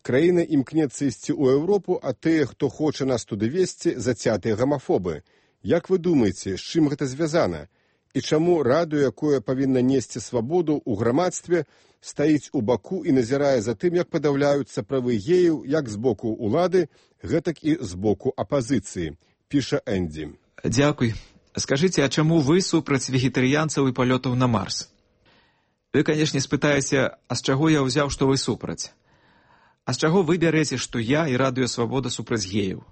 Краіна імкнецца ісці ў Еўропу, а тыя, хто хоча нас туды весці, зацятыя гамафобы. Як вы думаеце, з чым гэта звязана? І чаму радыё, якое павінна несці свабоду ў грамадстве, стаіць у баку і назірае за тым, як падаўляюцца правы геяў як з боку ўлады, гэтак і з боку апазіцыі? Піша Энді. Дзякуй. Скажыце, а чаму вы супраць вегетарыянцаў і палётаў на Марс? Вы, канешне, спытаеце, а з чаго я ўзяў, што вы супраць? А з чаго вы бярэце, што я і радыё «Свабода» супраць геяў?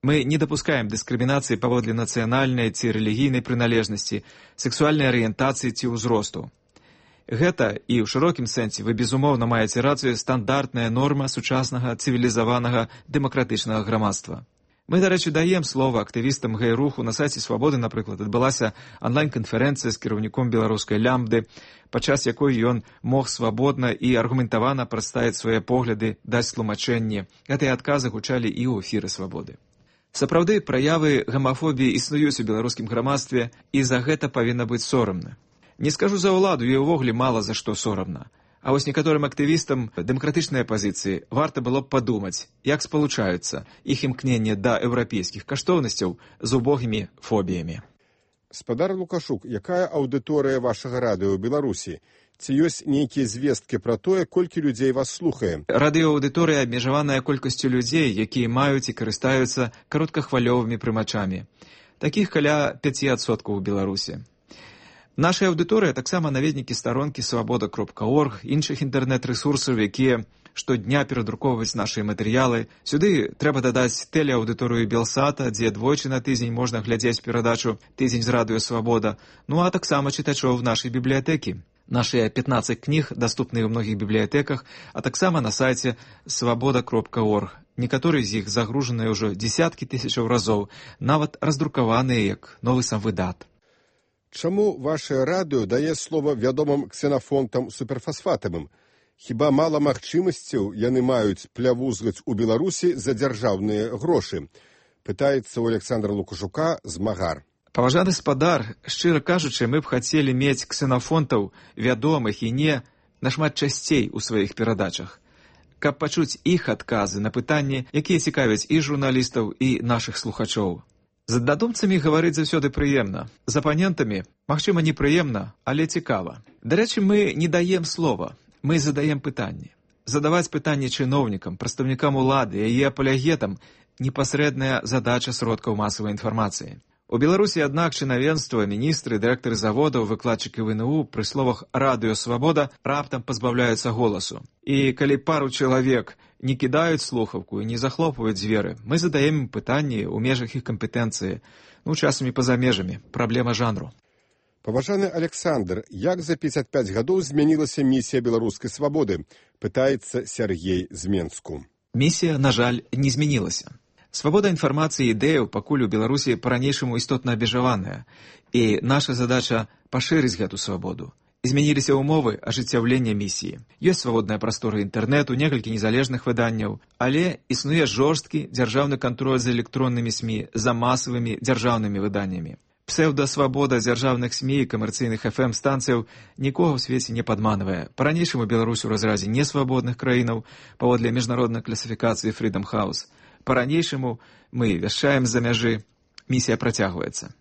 Мы не дапускаем дыскрымінацыі паводле нацыянальнай ці рэлігійнай прыналежнасці, сексуальнай арыентацыі ці ўзросту. Гэта, і ў шырокім сэнсе, вы безумоўна маеце рацыю, стандартная норма сучаснага цывілізаванага дэмакратычнага грамадства. Мы, дарэчы, даем слова актывістам гэй-руху. На сайце «Свабоды», напрыклад, адбылася онлайн-канферэнцыя з кіраўніком беларускай лямбды, падчас якой ён мог свабодна і аргументавана прадставіць свае погляды, даць тлумачэнне. Гэтыя адказы гучалі і ў эфіры «Свабоды». Сапраўды, праявы гамафобіі існуюць у беларускім грамадстве, і за гэта павінна быць сорамна. Не скажу за ўладу, ёй увогуле мала за што сорамна. А вось некаторым актывістам дэмакратычнай апазіцыі варта было б падумаць, як спалучаюцца іх імкненне да еўрапейскіх каштоўнасцяў з убогімі фобіямі. Спадар Лукашук, якая аўдыторыя вашага радыё ў Беларусі? Ці ёсць нейкія звесткі пра тое, колькі людзей вас слухае? Радыёаўдыторыя абмежаваная колькасцю людзей, якія маюць і карыстаюцца кароткахвалёвымі прымачамі. Такіх каля 5% у Беларусі. Наша аўдыторыя таксама наведнікі старонкі «Свабода.орг», іншых інтэрнэт-рэсурсаў, якія штодня перадрукоўваюць нашыя матэрыялы. Сюды трэба дадаць тэлеаўдыторыю Белсата, дзе двойчы на тыдзень можна глядзець перадачу «Тыдзень з радыё Свабода», ну а таксама чытачоў нашай бібліятэкі. Нашыя 15 кніг даступныя ў многіх бібліятэках, а таксама на сайце «Свабода.орг». Некаторыя з іх загружаныя ўжо дзесяткі тысячаў разоў, нават раздрукаваныя як новы самвыдат. Чаму ваше радыё дае слова вядомым ксенафонтам суперфасфатавым? Хіба мала магчымасцяў яны маюць плявузгаць у Беларусі за дзяржаўныя грошы? Пытаецца у Александра Лукашука змагар. Паважаны спадар, шчыра кажучы, мы б хацелі мець ксенафонтаў вядомых і не нашмат часцей у сваіх перадачах, каб пачуць іх адказы на пытанні, якія цікавяць і журналістаў, і нашых слухачоў. З аднадумцамі гаварыць заўсёды прыемна. З апанентамі, магчыма, непрыемна, але цікава. Дарэчы, мы не даем слова, мы задаем пытанні. Задаваць пытанні чыноўнікам, прадстаўнікам улады, яе апалягетам непасрэдная задача сродкаў масавай інфармацыі. У Беларусі, аднак, чынавенства, міністры, дырэктары заводаў, выкладчыкі ВНУ пры словах «Радыё Свабода» раптам пазбаўляюцца голасу. І калі пару чалавек не кідаюць слухаўку і не захлопваюць дзверы, мы задаем ім пытанні ў межах іх кампетэнцыі, часамі па-за межамі, праблема жанру. Паважаны Александр, як за 55 гадоў змянілася місія беларускай свабоды? Пытаецца Сергей з Менску. Місія, на жаль, не змянілася. Свабода інфармацыі і ідэяў пакуль у Беларусі па-ранейшаму істотна абмежаваная, і наша задача пашырыць гэту свабоду. Змяніліся ўмовы ажыццяўлення місіі. Ёсць свабодная прастора інтэрнэту, некалькі незалежных выданняў, але існуе жорсткі дзяржаўны кантроль за электроннымі СМІ, за масавымі дзяржаўнымі выданнямі. Псеўдасвабода дзяржаўных СМІ і камерцыйных FM-станцыяў нікога ў свеце не падманвае. Па-ранейшаму Беларусь у разразе несвабодных краінаў паводле міжнароднай класіфікацыі Freedom House. Па-ранейшаму мы вяшчаем з-за мяжы. Місія працягваецца.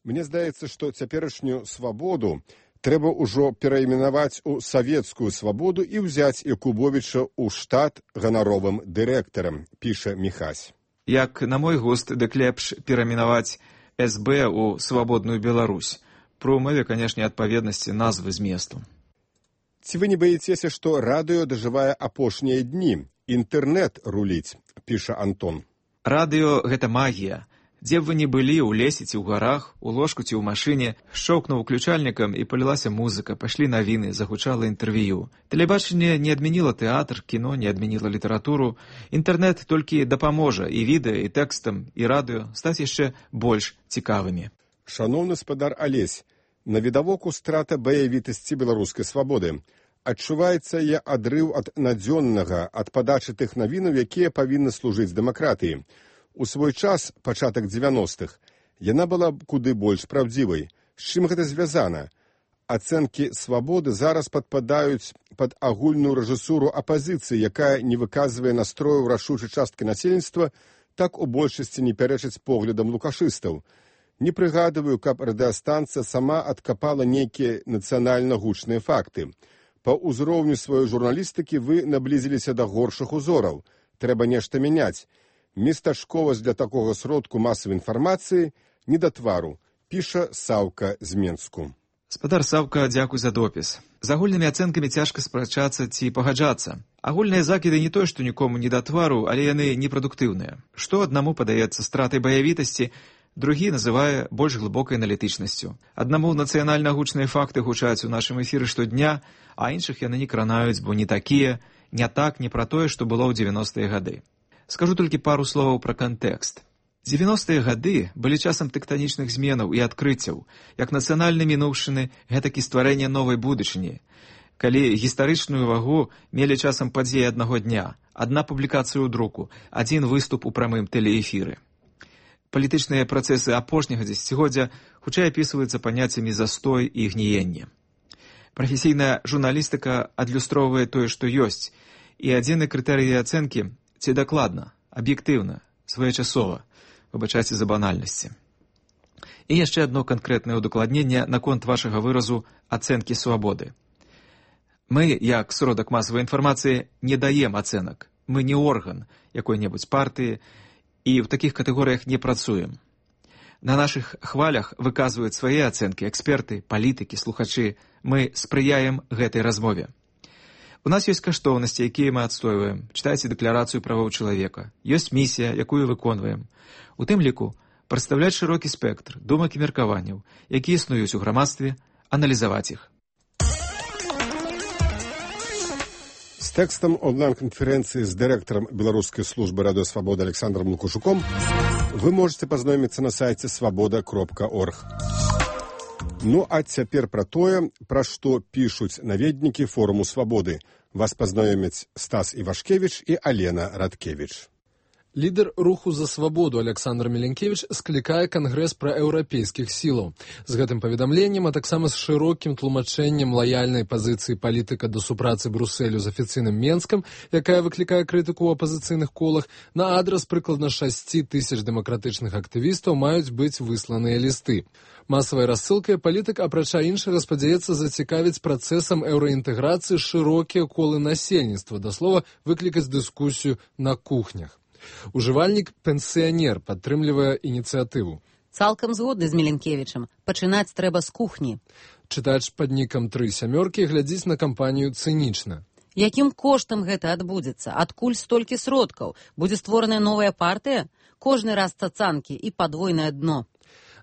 Мне здаецца, што цяперашнюю свабоду трэба ўжо перайменаваць у савецкую свабоду і ўзяць Якубовіча ў штат ганаровым дырэктарам, піша Міхась. Як на мой густ, дык лепш перайменаваць СБ у свабодную Беларусь. Пры ўмове, канешне, адпаведнасці назвы зместу. Ці вы не баіцеся, што радыё дажывае апошнія дні? Інтэрнэт руліць, піша Антон. Радыё – гэта магія. Дзе б вы не былі, у лесе ці ў гарах, у ложку ці ў машыне, шчоўкнуў уключальнікам і палілася музыка, пашлі навіны, загучала інтэрв'ю. Тэлебачанне не адмяніла тэатр, кіно не адмяніла літаратуру. Інтэрнэт толькі дапаможа і відэа, і тэкстам, і радыё стаць яшчэ больш цікавымі. Шаноўны спадар Алесь, навідавоку страта баявітасці беларускай свабоды. Адчуваецца я адрыў ад надзённага, ад падачы тых навінаў, якія павінны служыць дэмакратыі. У свой час, пачатак 90-х, яна была куды больш правдзівай. З чым гэта звязана? Ацэнкі свабоды зараз падпадаюць пад агульную рэжысуру апазіцыі, якая не выказвае настрою рашучай часткі насельніцтва, так у большасці не пярэчыць поглядам лукашыстаў. Не прыгадываю, каб радыёстанцыя сама адкапала нейкія нацыянальна гучныя факты. Па ўзроўню сваёй журналістыкі вы наблізіліся да горшых узораў. Трэба нешта мяняць. Местачковасць для такога сродку масавай інфармацыі не да твару, піша Саўка з Менску. Спадар Саўка, дзякуй за допіс. З агульнымі ацэнкамі цяжка спрачацца ці пагаджацца. Агульныя закіды не тое, што нікому не да твару, але яны непрадуктыўныя. Што аднаму падаецца стратай баявітасці, другі называе больш глыбокай аналітычнасцю. Аднаму нацыянальна гучныя факты гучаць у нашым эфіры штодня, а іншых яны не кранаюць, бо не такія, не так, не пра тое, што было ў 90-е гады. Скажу толькі пару словаў пра кантэкст. 90-е гады былі часам тэктанічных зменаў і адкрыццяў, як нацыянальнай мінуўшчыны, гэтак і стварэння новай будучыні. Калі гістарычную вагу мелі часам падзеі аднаго дня, адна публікацыя ў друку, адзін выступ у прамым тэлеэфіры. Палітычныя працэсы апошняга дзесяцігоддзя хутчэй апісваюцца паняццямі застой і гніенне. Прафесійная журналістыка адлюстроўвае тое, што ёсць, і адзіны крытэрый ацэнкі – ці дакладна, аб'ектыўна, своечасова, выбачайце за банальнасці. І яшчэ адно канкрэтнае ўдакладненне наконт вашага выразу ацэнкі свабоды. Мы, як сродак масавай інфармацыі, не даем ацэнак. Мы не орган якой-небудзь партыі і ў такіх катэгорыях не працуем. На нашых хвалях выказваюць свае ацэнкі эксперты, палітыкі, слухачы. Мы спрыяем гэтай размове. У нас ёсць каштоўнасці, якія мы адстойваем. Чытайце дэкларацыю правоў чалавека. Ёсць місія, якую выконваем. У тым ліку прадстаўляць шырокі спектр думак і меркаванняў, якія існуюць у грамадстве, аналізаваць іх. З тэкстам онлайн-канферэнцыі з дырэктарам беларускай службы радыё Свабода Александром Лукашуком вы можете пазнаёміцца на сайце свабода.орг. Ну, а цяпер пра тое, пра што пішуць наведнікі форуму свабоды. Вас пазнаёмяць Стас Івашкевіч і Алена Радкевіч. Лідар руху за свабоду Александр Міленкевіч склікае кангрэс праеўрапейскіх сілаў. З гэтым паведамленнем, а таксама з шырокім тлумачэннем лаяльнай пазіцыі палітыка да супрацы Брусэлю з афіцыйным Менскам, якая выклікае крытыку ў апазіцыйных колах, на адрас прыкладна 6 000 дэмакратычных актывістаў маюць быць высланыя лісты. Масавай рассылкай палітык, апрача іншага, спадзяецца зацікавіць працэсам еўраінтэграцыі шырокія колы насельніцтва, да слова, выклікаць дыскусію на кухнях. Ужывальнік пенсіянер падтрымлівае ініцыятыву. Цалкам згодны з Міленкевічам. Пачынаць трэба з кухні. Чытач пад нікам 3 сямёркі глядзіць на кампанію цынічна. Якім коштам гэта адбудзецца? Адкуль столькі сродкаў? Будзе створаная новая партыя? Кожны раз цацанкі і падвойнае дно.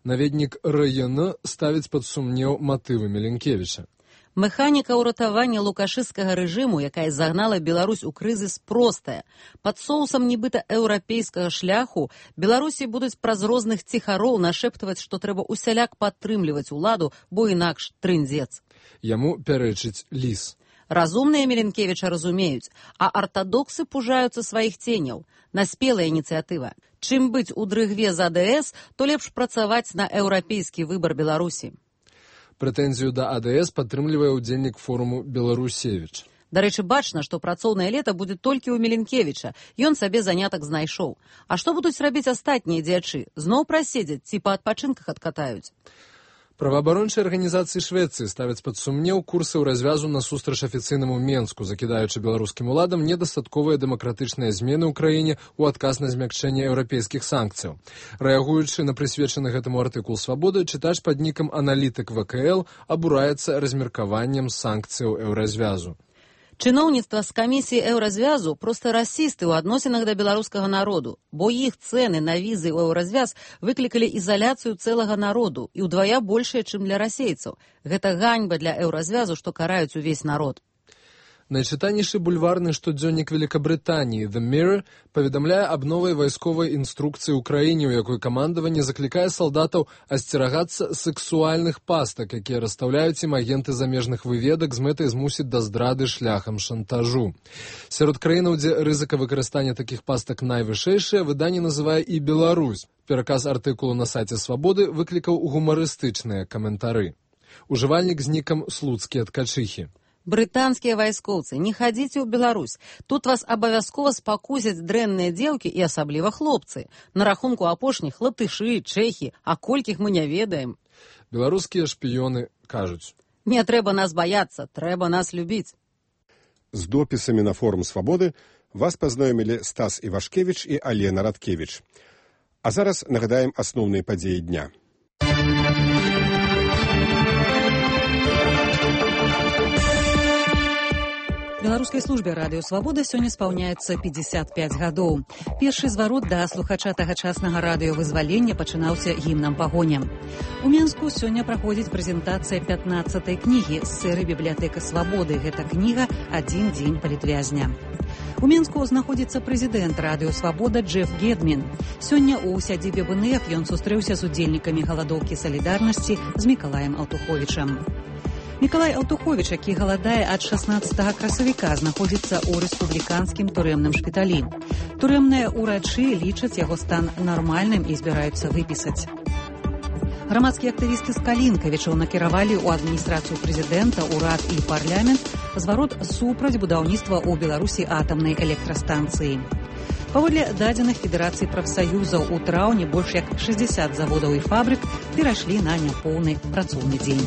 Наведнік РН ставіць пад сумнеў матывы Міленкевіча. Механіка ўратавання лукашысцкага рэжыму, якая загнала Беларусь у крызіс, простая. Пад соусам нібыта еўрапейскага шляху Беларусі будуць праз розных ціхароў нашэптваць, што трэба усяляк падтрымліваць уладу, бо інакш трындзец. Яму пярэчыць ліс. Разумныя Міленкевіча разумеюць, а артадоксы пужаюцца сваіх ценяў. Наспелая ініцыятыва. Чым быць у дрыгве з АДС, то лепш працаваць на еўрапейскі выбар Беларусі. Прэтэнзію да АДС падтрымлівае ўдзельнік форуму Беларусевіч. Дарэчы, бачна, што працоўнае лета будзе толькі ў Міленкевіча. Ён сабе занятак знайшоў. А што будуць рабіць астатнія дзячы? Зноў праседзяць ці па адпачынках адкатаюць? Праваабарончыя арганізацыі Швецыі ставяць пад сумнеў курсы ў развязу насустрач афіцыйнаму Менску, закідаючы беларускім уладам недастатковыя дэмакратычныя змены ў краіне ў адказ на змякчэнне еўрапейскіх санкцыяў. Рэагуючы на прысвечаны гэтаму артыкул «Свабоды», чытач пад нікам аналітык ВКЛ абураецца размеркаваннем санкцыяў еўразвязу. Чыноўніцтва з камісіі еўразвязу проста расісты ў адносінах да беларускага народу, бо іх цэны на візы ў еўразвяз выклікалі ізаляцыю цэлага народу і ўдвая большая, чым для расейцаў. Гэта ганьба для еўразвязу, што караюць увесь народ. Найчытанейшы бульварны штодзённік Великабрытаніі «The Mirror» паведамляе аб новай вайсковай інструкцыі ў краіне, у якой камандаванне заклікае салдатаў асцерагацца сексуальных пастак, якія расстаўляюць ім агенты замежных выведак з мэтай змусіць да здрады шляхам шантажу. Сярод краінаў, дзе рызыка выкарыстання такіх пастак найвышэйшая, выданне называе і Беларусь. Пераказ артыкулу на сайце «Свабоды» выклікаў гумарыстычныя каментары. Ужывальнік з нікам «Слуцкія ткачыхі». Брытанскія вайскоўцы, не хадзіце ў Беларусь. Тут вас абавязкова спакусяць дрэнныя дзеўкі і асабліва хлопцы. На рахунку апошніх латышы, чэхі, а колькіх мы не ведаем. Беларускія шпіёны кажуць: не трэба нас баяцца, трэба нас любіць. З допісамі на форум «Свабоды» вас пазнаёмілі Стас Івашкевіч і Алена Радкевіч. А зараз нагадаем асноўныя падзеі дня. Беларускай службе радыё «Свабода» сёння спаўняецца 55 гадоў. Першы зварот да слухача тагачаснага радыёвызвалення пачынаўся гімнам пагоня. У Менску сёння праходзіць прэзентацыя 15-й кнігі з серыі «Бібліятэка Свабоды». Гэта кніга «Адзін дзень палітвязня». У Менску знаходзіцца прэзідэнт радыё «Свабода» Джеф Гедмін. Сёння ў сядзібе БНФ ён сустрэўся з удзельнікамі галадоўкі салідарнасці з Мікалаем Алтуховічам. Мікалай Алтуховіч, які галадае ад 16 красавіка, знаходзіцца ў рэспубліканскім турэмным шпіталі. Турэмныя ўрачы лічаць яго стан нармальным і збіраюцца выпісаць. Грамадскія актывісты з Калінкавічаў накіравалі ў адміністрацыю прэзідэнта, урад і парламент зварот супраць будаўніцтва ў Беларусі атамнай электрастанцыі. Паводле дадзеных Федэрацыі прафсаюзаў, у траўні больш як 60 заводаў і фабрык перайшлі на няпоўны працоўны дзень.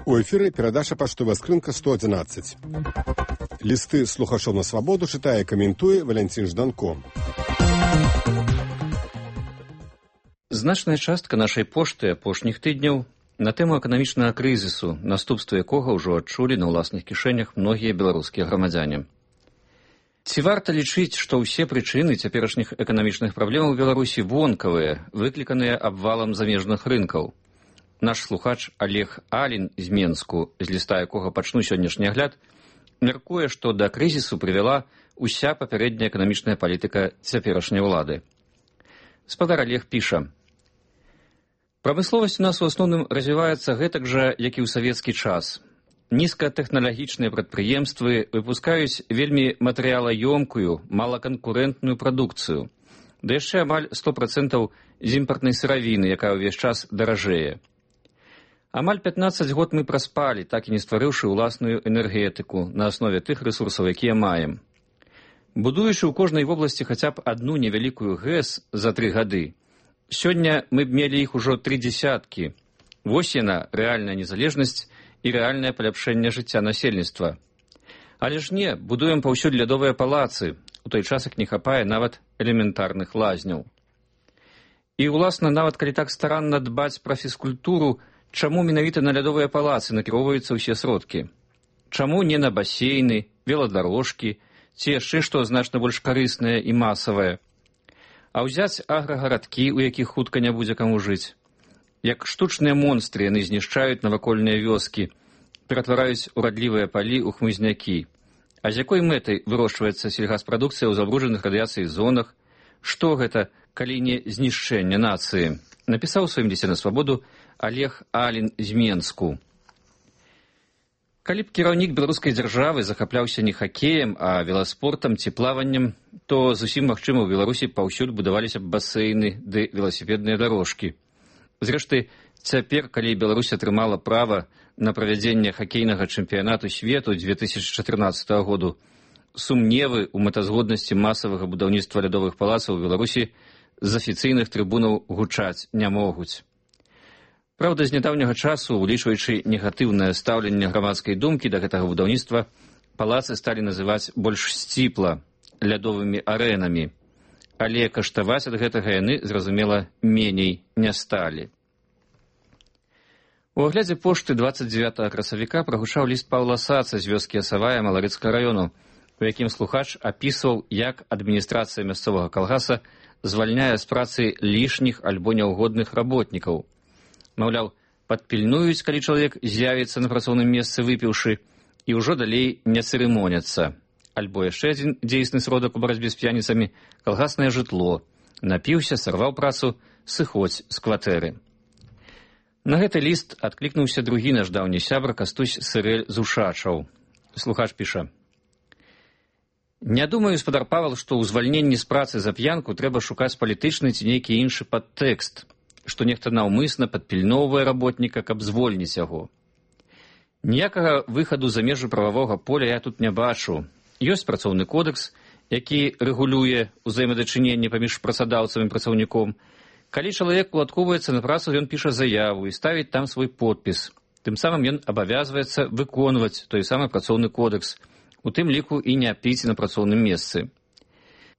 У эфіры перадача паштовая скрынка 111. Лісты слухачоў на «Свабоду» чытае, каментуе Валянцін Жданко. Значная частка нашай пошты апошніх тыдняў на тэму эканамічнага крызісу, наступствы якога ўжо адчулі на ўласных кішэнях многія беларускія грамадзяне. Ці варта лічыць, што ўсе прычыны цяперашніх эканамічных праблемаў у Беларусі вонкавыя, выкліканыя абвалам замежных рынкаў? Наш слухач Олег Алін з Менску, з ліста якога пачну сённяшні агляд, мяркуе, што да крызісу прывяла ўся папярэдняя эканамічная палітыка цяперашняй улады. Спадар Олег піша: прамысловасць у нас у асноўным развіваецца гэтак жа, як і ў савецкі час. Нізкатэхналагічныя прадпрыемствы выпускаюць вельмі матэрыялаёмкую, малаканкурэнтную прадукцыю, да яшчэ амаль 100% з імпартнай сыравіны, якая ўвесь час даражэе. Амаль 15 год мы праспалі, так і не стварыўшы ўласную энергетыку на аснове тых рэсурсаў, якія маем. Будуючы ў кожнай вобласці хаця б адну невялікую ГЭС за 3 гады, сёння мы б мелі іх ужо 3 дзесяткі, Вось яна, рэальная незалежнасць і рэальнае паляпшэнне жыцця насельніцтва. Але ж не, будуем паўсюль лядовыя палацы, у той час, як не хапае нават элементарных лазняў. І, уласна, нават калі так старанна дбаць пра фізкультуру, чаму менавіта на лядовыя палацы накіроўваюцца ўсе сродкі? Чаму не на басейны, веладарожкі, ці яшчэ што значна больш карыснае і масавае? А ўзяць аграгарадкі, у якіх хутка не будзе каму жыць. Як штучныя монстры яны знішчаюць навакольныя вёскі, ператвараюць урадлівыя палі ў хмызнякі. А з якой мэтай вырошчваецца сельгаспрадукцыя ў забруджаных радыяцыяй зонах? Што гэта, калі не знішчэнне нацыі? Напісаў у сваім лісце на свабоду Олег Алін з Менску. Калі б кіраўнік беларускай дзяржавы захапляўся не хакеем, а веласпортам ці плаваннем, то зусім магчыма ў Беларусі паўсюль будаваліся б басейны ды веласіпедныя дарожкі. Зрэшты, цяпер, калі Беларусь атрымала права на правядзенне хакейнага чэмпіянату свету 2014 году, сумневы ў мэтазгоднасці масавага будаўніцтва лядовых палацаў у Беларусі з афіцыйных трыбунаў гучаць не могуць. Праўда, з нядаўняга часу, улічваючы негатыўнае стаўленне грамадскай думкі да гэтага будаўніцтва, палацы сталі называць больш сціпла лядовымі арэнамі, але каштаваць ад гэтага яны, зразумела, меней не сталі. У аглядзе пошты 29 красавіка прагучаў ліст Паўла Саца з вёскі Асавая Маларыцкага раёну, у якім слухач апісваў, як адміністрацыя мясцовага калгаса звальняе з працы лішніх альбо няўгодных работнікаў. Маўляў, падпільнуюць, калі чалавек з'явіцца на працоўным месцы выпіўшы, і ўжо далей не цырымоняцца. Альбо яшчэ адзін дзейсны сродак у барацьбе з п'яніцамі – калгаснае жытло. Напіўся, сарваў працу, сыходзь з кватэры. На гэты ліст адклікнуўся другі наш даўні сябра Кастусь Сырэль з Ушачаў. Слухач піша: «Не думаю, гаспадар Павел, што ў звальненні з працы за п'янку трэба шукаць палітычны ці нейкі іншы падтэкст, што нехта наўмысна падпільноўвае работніка, каб звольніць яго. Ніякага выхаду за межы прававога поля я тут не бачу. Ёсць працоўны кодэкс, які рэгулюе ўзаемадачыненне паміж працадаўцам і працаўніком. Калі чалавек уладкоўваецца на працу, ён піша заяву і ставіць там свой подпіс. Тым самым ён абавязваецца выконваць той самы працоўны кодэкс, у тым ліку і не піць на працоўным месцы.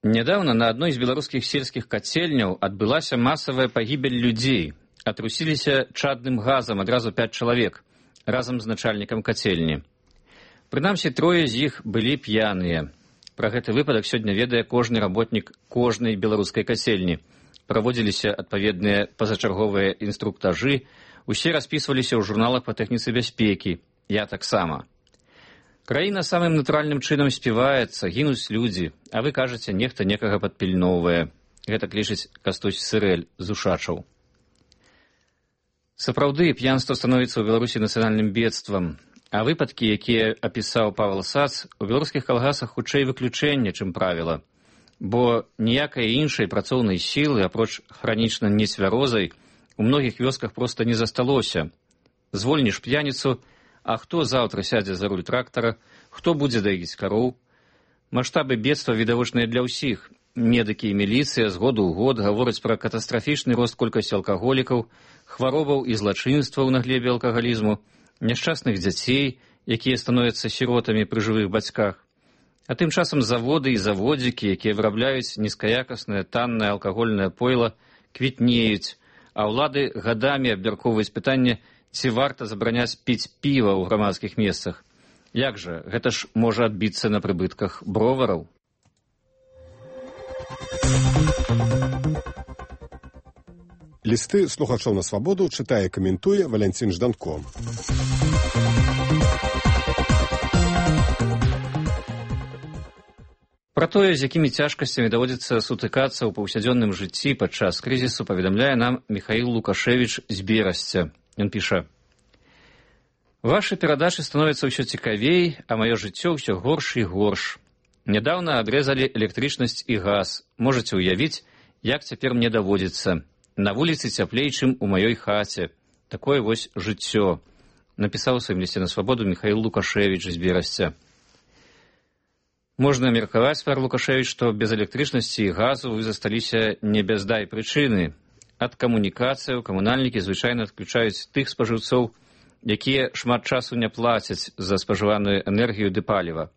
Нядаўна на адной з беларускіх сельскіх кацельняў адбылася масавая пагібель людзей. Атрусіліся чадным газам адразу 5 чалавек, разам з начальнікам кацельні. Прынамсі, 3 з іх былі п'яныя. Пра гэты выпадак сёння ведае кожны работнік кожнай беларускай кацельні. Праводзіліся адпаведныя пазачарговыя інструктажы, усе распісваліся ў журналах па тэхніцы бяспекі, я таксама. Краіна самым натуральным чынам співаецца, гінуць людзі, а вы кажаце, нехта некага падпільноўвае. Гэта лічыць Кастусь Сырэль з Ушачаў. Сапраўды, п'янства становіцца ў Беларусі нацыянальным бедствам, а выпадкі, якія апісаў Павел Сац, у беларускіх калгасах хутчэй выключэнне, чым правіла. Бо ніякай іншай працоўнай сілы, апроч хранічна нецвярозай, у многіх вёсках проста не засталося. Звольніш п'яніцу, а хто заўтра сядзе за руль трактара, хто будзе даіць кароў? Маштабы бедства відавочныя для ўсіх. Медыкі і міліцыя з году ў год гавораць пра катастрафічны рост колькасці алкаголікаў, хваробаў і злачынстваў на глебе алкагалізму, няшчасных дзяцей, якія становяцца сіротамі пры жывых бацьках. А тым часам заводы і заводзікі, якія вырабляюць нізкаякаснае таннае алкагольнае пойла, квітнеюць, а ўлады гадамі абмяркоўваюць пытанне, ці варта забараняць піць піва ў грамадскіх месцах. Як жа, гэта ж можа адбіцца на прыбытках бровараў. Лісты слухачоў на свабоду чытае і каментуе Валянцін Жданко. Пра тое, з якімі цяжкасцямі даводзіцца сутыкацца ў паўсядзённым жыцці падчас крызісу, паведамляе нам Міхаіл Лукашевіч з Берасця. Ён піша: «Вашы перадачы становяцца ўсё цікавей, а маё жыццё ўсё горш і горш. Нядаўна адрэзалі электрычнасць і газ. Можаце ўявіць, як цяпер мне даводзіцца. На вуліцы цяплей, чым у маёй хаце. Такое вось жыццё», напісаў у сваім лісце на свабоду Міхаіл Лукашевіч з Берасця. Можна меркаваць, пан Лукашевіч, што без электрычнасці і газу вы засталіся не без дай прычыны, ад камунікацыяў камунальнікі звычайна адключаюць тых спажыўцоў, якія шмат часу не плацяць за спажываную энергію ды паліва.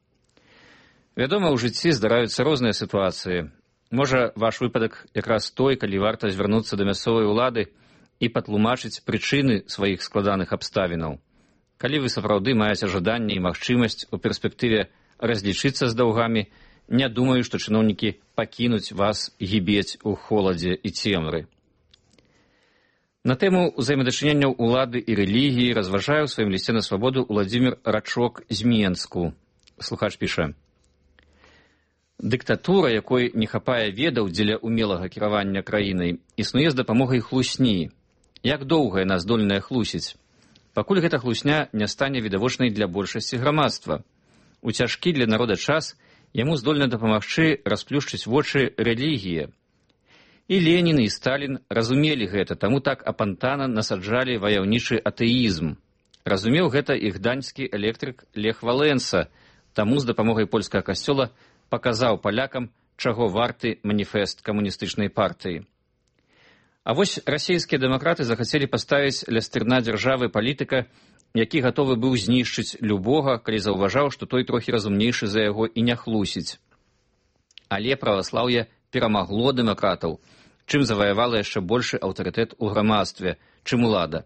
Вядома, у жыцці здараюцца розныя сітуацыі. Можа, ваш выпадак якраз той, калі варта звярнуцца да мясцовай улады і патлумачыць прычыны сваіх складаных абставінаў. Калі вы сапраўды маеце жаданне і магчымасць у перспектыве разлічыцца з даўгамі, не думаю, што чыноўнікі пакінуць вас гібець у холадзе і цемры. На тэму ўзаемадачыненняў улады і рэлігіі разважае ў сваім лісце на свабоду Уладзімір Рачок з Менску. Слухач піша: «Дыктатура, якой не хапае ведаў дзеля умелага кіравання краінай, існуе з дапамогай хлусні. Як доўга яна здольная хлусіць? Пакуль гэта хлусня не стане відавочнай для большасці грамадства. У цяжкі для народа час яму здольна дапамагчы расплюшчыць вочы рэлігія. І Ленін, і Сталін разумелі гэта, таму так апантана насаджалі ваяўнічы атэізм. Разумеў гэта і гданьскі электрык Лех Валенса, таму з дапамогай польскага касцёла паказаў палякам, чаго варты маніфест камуністычнай партыі. А вось расійскія дэмакраты захацелі паставіць ля стырна дзяржавы палітыка, які гатовы быў знішчыць любога, калі заўважаў, што той трохі разумнейшы за яго і не хлусіць. Але праваслаўе перамагло дэмакратаў, чым заваявала яшчэ большы аўтарытэт у грамадстве, чым улада.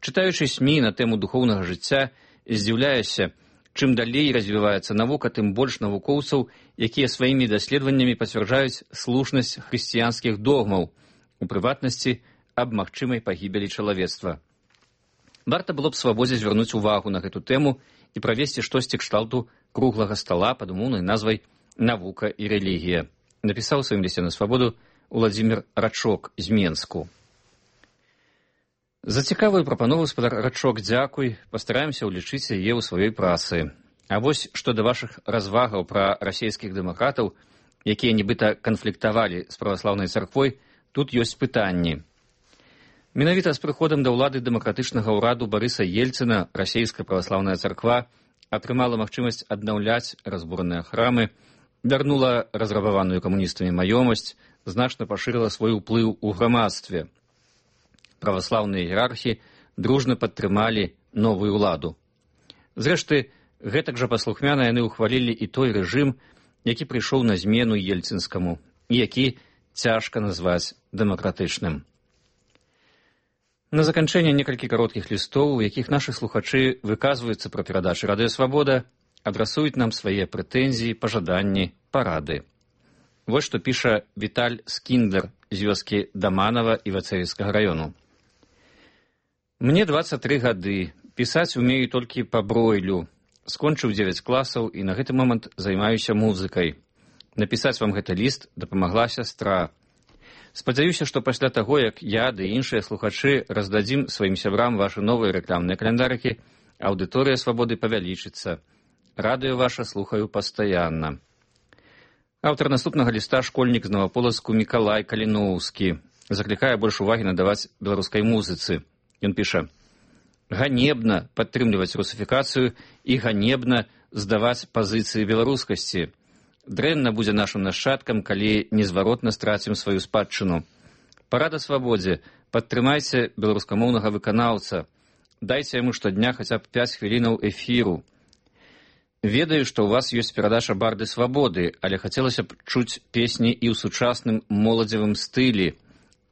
Чытаючы СМІ на тэму духоўнага жыцця, здзіўляюся, чым далей развіваецца навука, тым больш навукоўцаў, якія сваімі даследаваннямі пацвярджаюць слушнасць хрысціянскіх догмаў, у прыватнасці аб магчымай пагібелі чалавецтва. Варта было б свабодзе звярнуць увагу на гэту тэму і правесці штосьці кшталту круглага стала пад умоўнай назвай «Навука і рэлігія», напісаў у сваім лісце на свабоду Уладзімір Рачок з Менску. За цікавую прапанову, спадар Рачок, дзякуй, пастараемся ўлічыць яе ў сваёй працы. А вось што да вашых развагаў пра расійскіх дэмакратаў, якія нібыта канфліктавалі з праваслаўнай царквой, тут ёсць пытанні. Менавіта з прыходам да ўлады дэмакратычнага ўраду Барыса Ельцына расійская праваслаўная царква атрымала магчымасць аднаўляць разбураныя храмы, вярнула разрабаваную камуністамі маёмасць, значна пашырыла свой уплыў у грамадстве. Праваслаўныя іерархі дружна падтрымалі новую ўладу. Зрэшты, гэтак жа паслухмяна яны ўхвалілі і той рэжым, які прыйшоў на змену ельцынскаму, і які цяжка назваць дэмакратычным. На заканчэнне некалькі кароткіх лістоў, у якіх нашы слухачы выказваюцца пра перадачы Радыё Свабода, адрасуюць нам свае прэтэнзіі, пажаданні, парады. Вось што піша Віталь Скіндер з вёскі Даманава Івацэвіцкага раёну. «Мне 23 гады, пісаць умею толькі па бройлю. Скончыў 9 класаў і на гэты момант займаюся музыкай. Напісаць вам гэты ліст дапамагла сястра. Спадзяюся, што пасля таго, як я ды іншыя слухачы раздадзім сваім сябрам вашы новыя рэкламныя каляндарыкі, аўдыторыя Свабоды павялічыцца. Радыё ваша слухаю пастаянна». Аўтар наступнага ліста школьнік з Новаполацку Мікалай Каліноўскі заклікае больш увагі надаваць беларускай музыцы. Ён піша: «Ганебна падтрымліваць русіфікацыю і ганебна здаваць пазіцыі беларускасці. Дрэнна будзе нашым нашчадкам, калі незваротна страцім сваю спадчыну. Парада свабодзе, падтрымайце беларускамоўнага выканаўца. Дайце яму штодня хаця б 5 хвілінаў эфіру. Ведаю, што ў вас ёсць перадача «Барды свабоды», але хацелася б чуць песні і ў сучасным моладзевым стылі.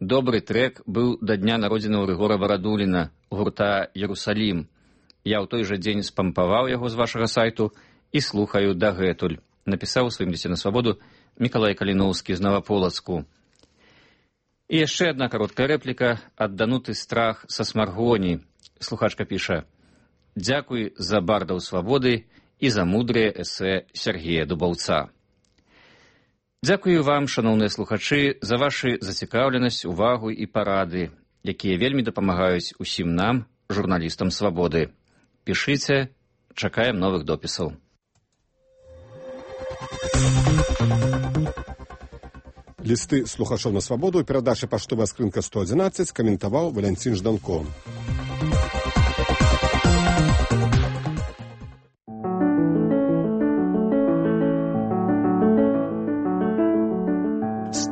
Добры трэк быў да дня народзінаў Рыгора Барадуліна, гурта «Ярусалім». Я ў той жа дзень спампаваў яго з вашага сайту і слухаю дагэтуль», напісаў у сваім лісце на свабоду Мікалай Каліноўскі з Новаполацку. І яшчэ адна кароткая рэпліка ад Дануты Страх са Смаргоні. Слухачка піша: «Дзякуй за бардаў свабоды і за мудрыя эсэ Сергея Дубаўца». Дзякую вам, шаноўныя слухачы, за вашу зацікаўленасць, увагу і парады, якія вельмі дапамагаюць усім нам, журналістам Свабоды. Пішыце, чакаем новых допісаў. Лісты слухачоў на Свабоду, перадача паштовая скрынка 111, каментаваў Валянцін Жданко.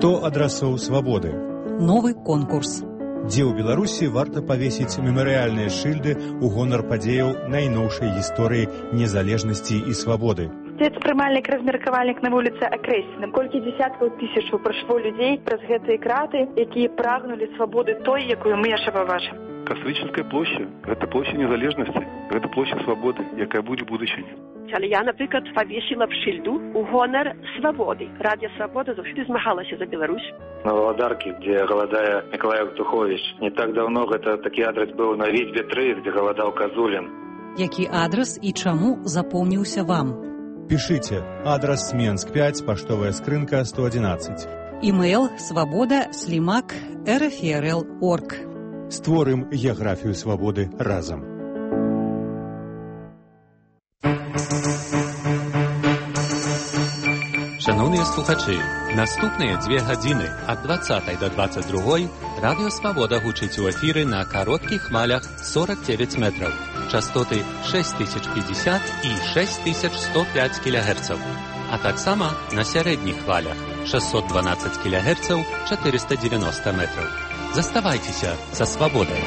«100 адрасоў свабоды». новы конкурс. Дзе ў Беларусі варта павесіць мемарыяльныя шыльды ў гонар падзеяў найноўшай гісторыі незалежнасці і свабоды. Прымальнік, размеркавальнік на вуліцы акрэслены. Колькі дзесяткаў тысячаў прайшло людзей праз гэтыя краты, якія прагнулі свабоды той, якую мы яшчэ пабачым. Кастрычніцкая площа – гэта площа незалежнасці, гэта площа свабоды, якая будзе будучыня. Але я, наприклад, повісила б шильду у гонор свободы. Радіо Свобода завжди змагалася за Беларусь. На Володарке, где голодая Николай Алтухович. Не так давно это такой адрес был на Витьбе 3, где голодал Козулин. Які адрес і чаму запомніўся вам? Пишите. Адрес Менск 5, поштовая скрынка 111. Email svoboda@rfrl.org. Створым геаграфію свободы разом. Шановні слухачі, наступні 2 години від 20 до 22 Радіо Свобода гучить у ефірі на коротких хвалях 49 метрів, частоти 6050 і 6105 кГц, а так само на середніх хвалях 612 кГц, 490 метрів. Заставайтеся за свободою.